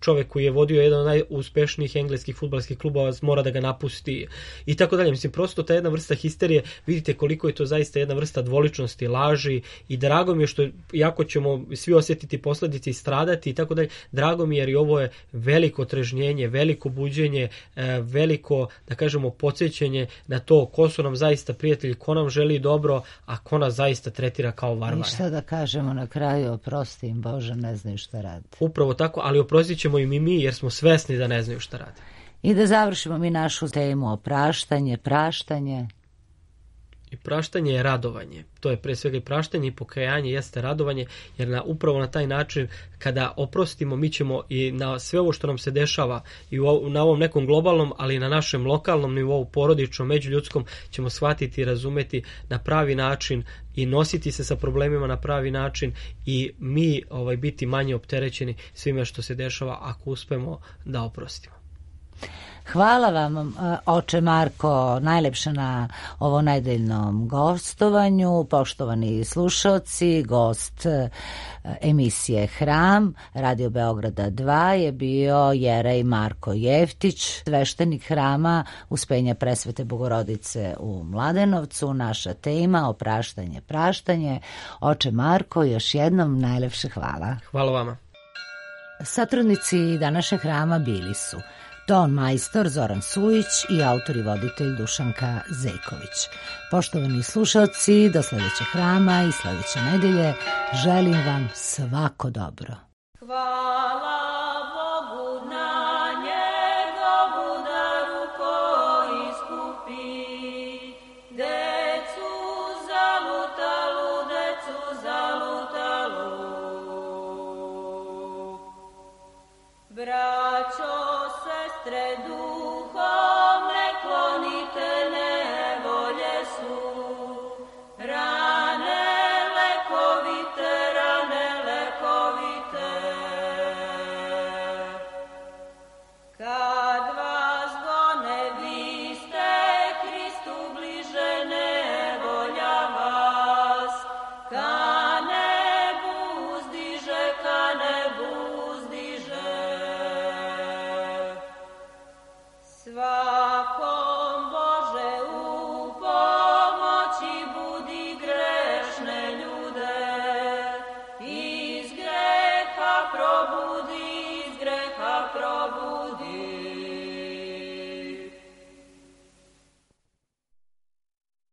čovek koji je vodio jedan od najuspešnijih engleskih fudbalskih klubova mora da ga napusti i tako dalje. Mislim, prosto ta jedna vrsta histerije, vidite koliko je to zaista jedna vrsta dvoličnosti, laži, i drago mi je što, iako ćemo svi osjetiti posledice i stradati i tako dalje, drago mi je jer i ovo je veliko otrežnjenje, veliko buđenje, veliko, da kažemo, podsjećanje na to ko su nam zaista prijatelji, ko nam želi dobro, a ko nas zaista tretira kao varvare. I šta da kažemo na kraju, oprosti im Bože, ne znaju šta rade. Upravo tako, ali oprostit ćemo im i mi jer smo svesni da ne znaju šta rade. I da završimo mi našu temu o praštanje. I praštanje je radovanje. To je pre svega i praštanje i pokajanje jeste radovanje, jer upravo na taj način kada oprostimo, mi ćemo i na sve ovo što nam se dešava i na ovom nekom globalnom, ali i na našem lokalnom nivou, porodičnom, međuljudskom, ćemo shvatiti i razumeti na pravi način i nositi se sa problemima na pravi način i mi biti manje opterećeni svime što se dešava ako uspemo da oprostimo. Hvala vam, oče Marko, najlepše na ovo nedeljnom gostovanju. Poštovani slušaoci, gost emisije Hram Radio Beograda 2 je bio Jerej Marko Jeftić, sveštenik Hrama Uspenja Presvete Bogorodice u Mladenovcu. Naša tema opraštanje, praštanje. Oče Marko, još jednom najlepše hvala. Hvala vama. Satrudnici današnjeg Hrama bili su ton majstor Zoran Sujić i autor i voditelj Dušanka Zejković. Poštovani slušalci, do sledećeg Hrama i sledeće nedelje želim vam svako dobro. Hvala Bogu na njegovu daru koji iskupi decu zalutalu, Braćo, sestre,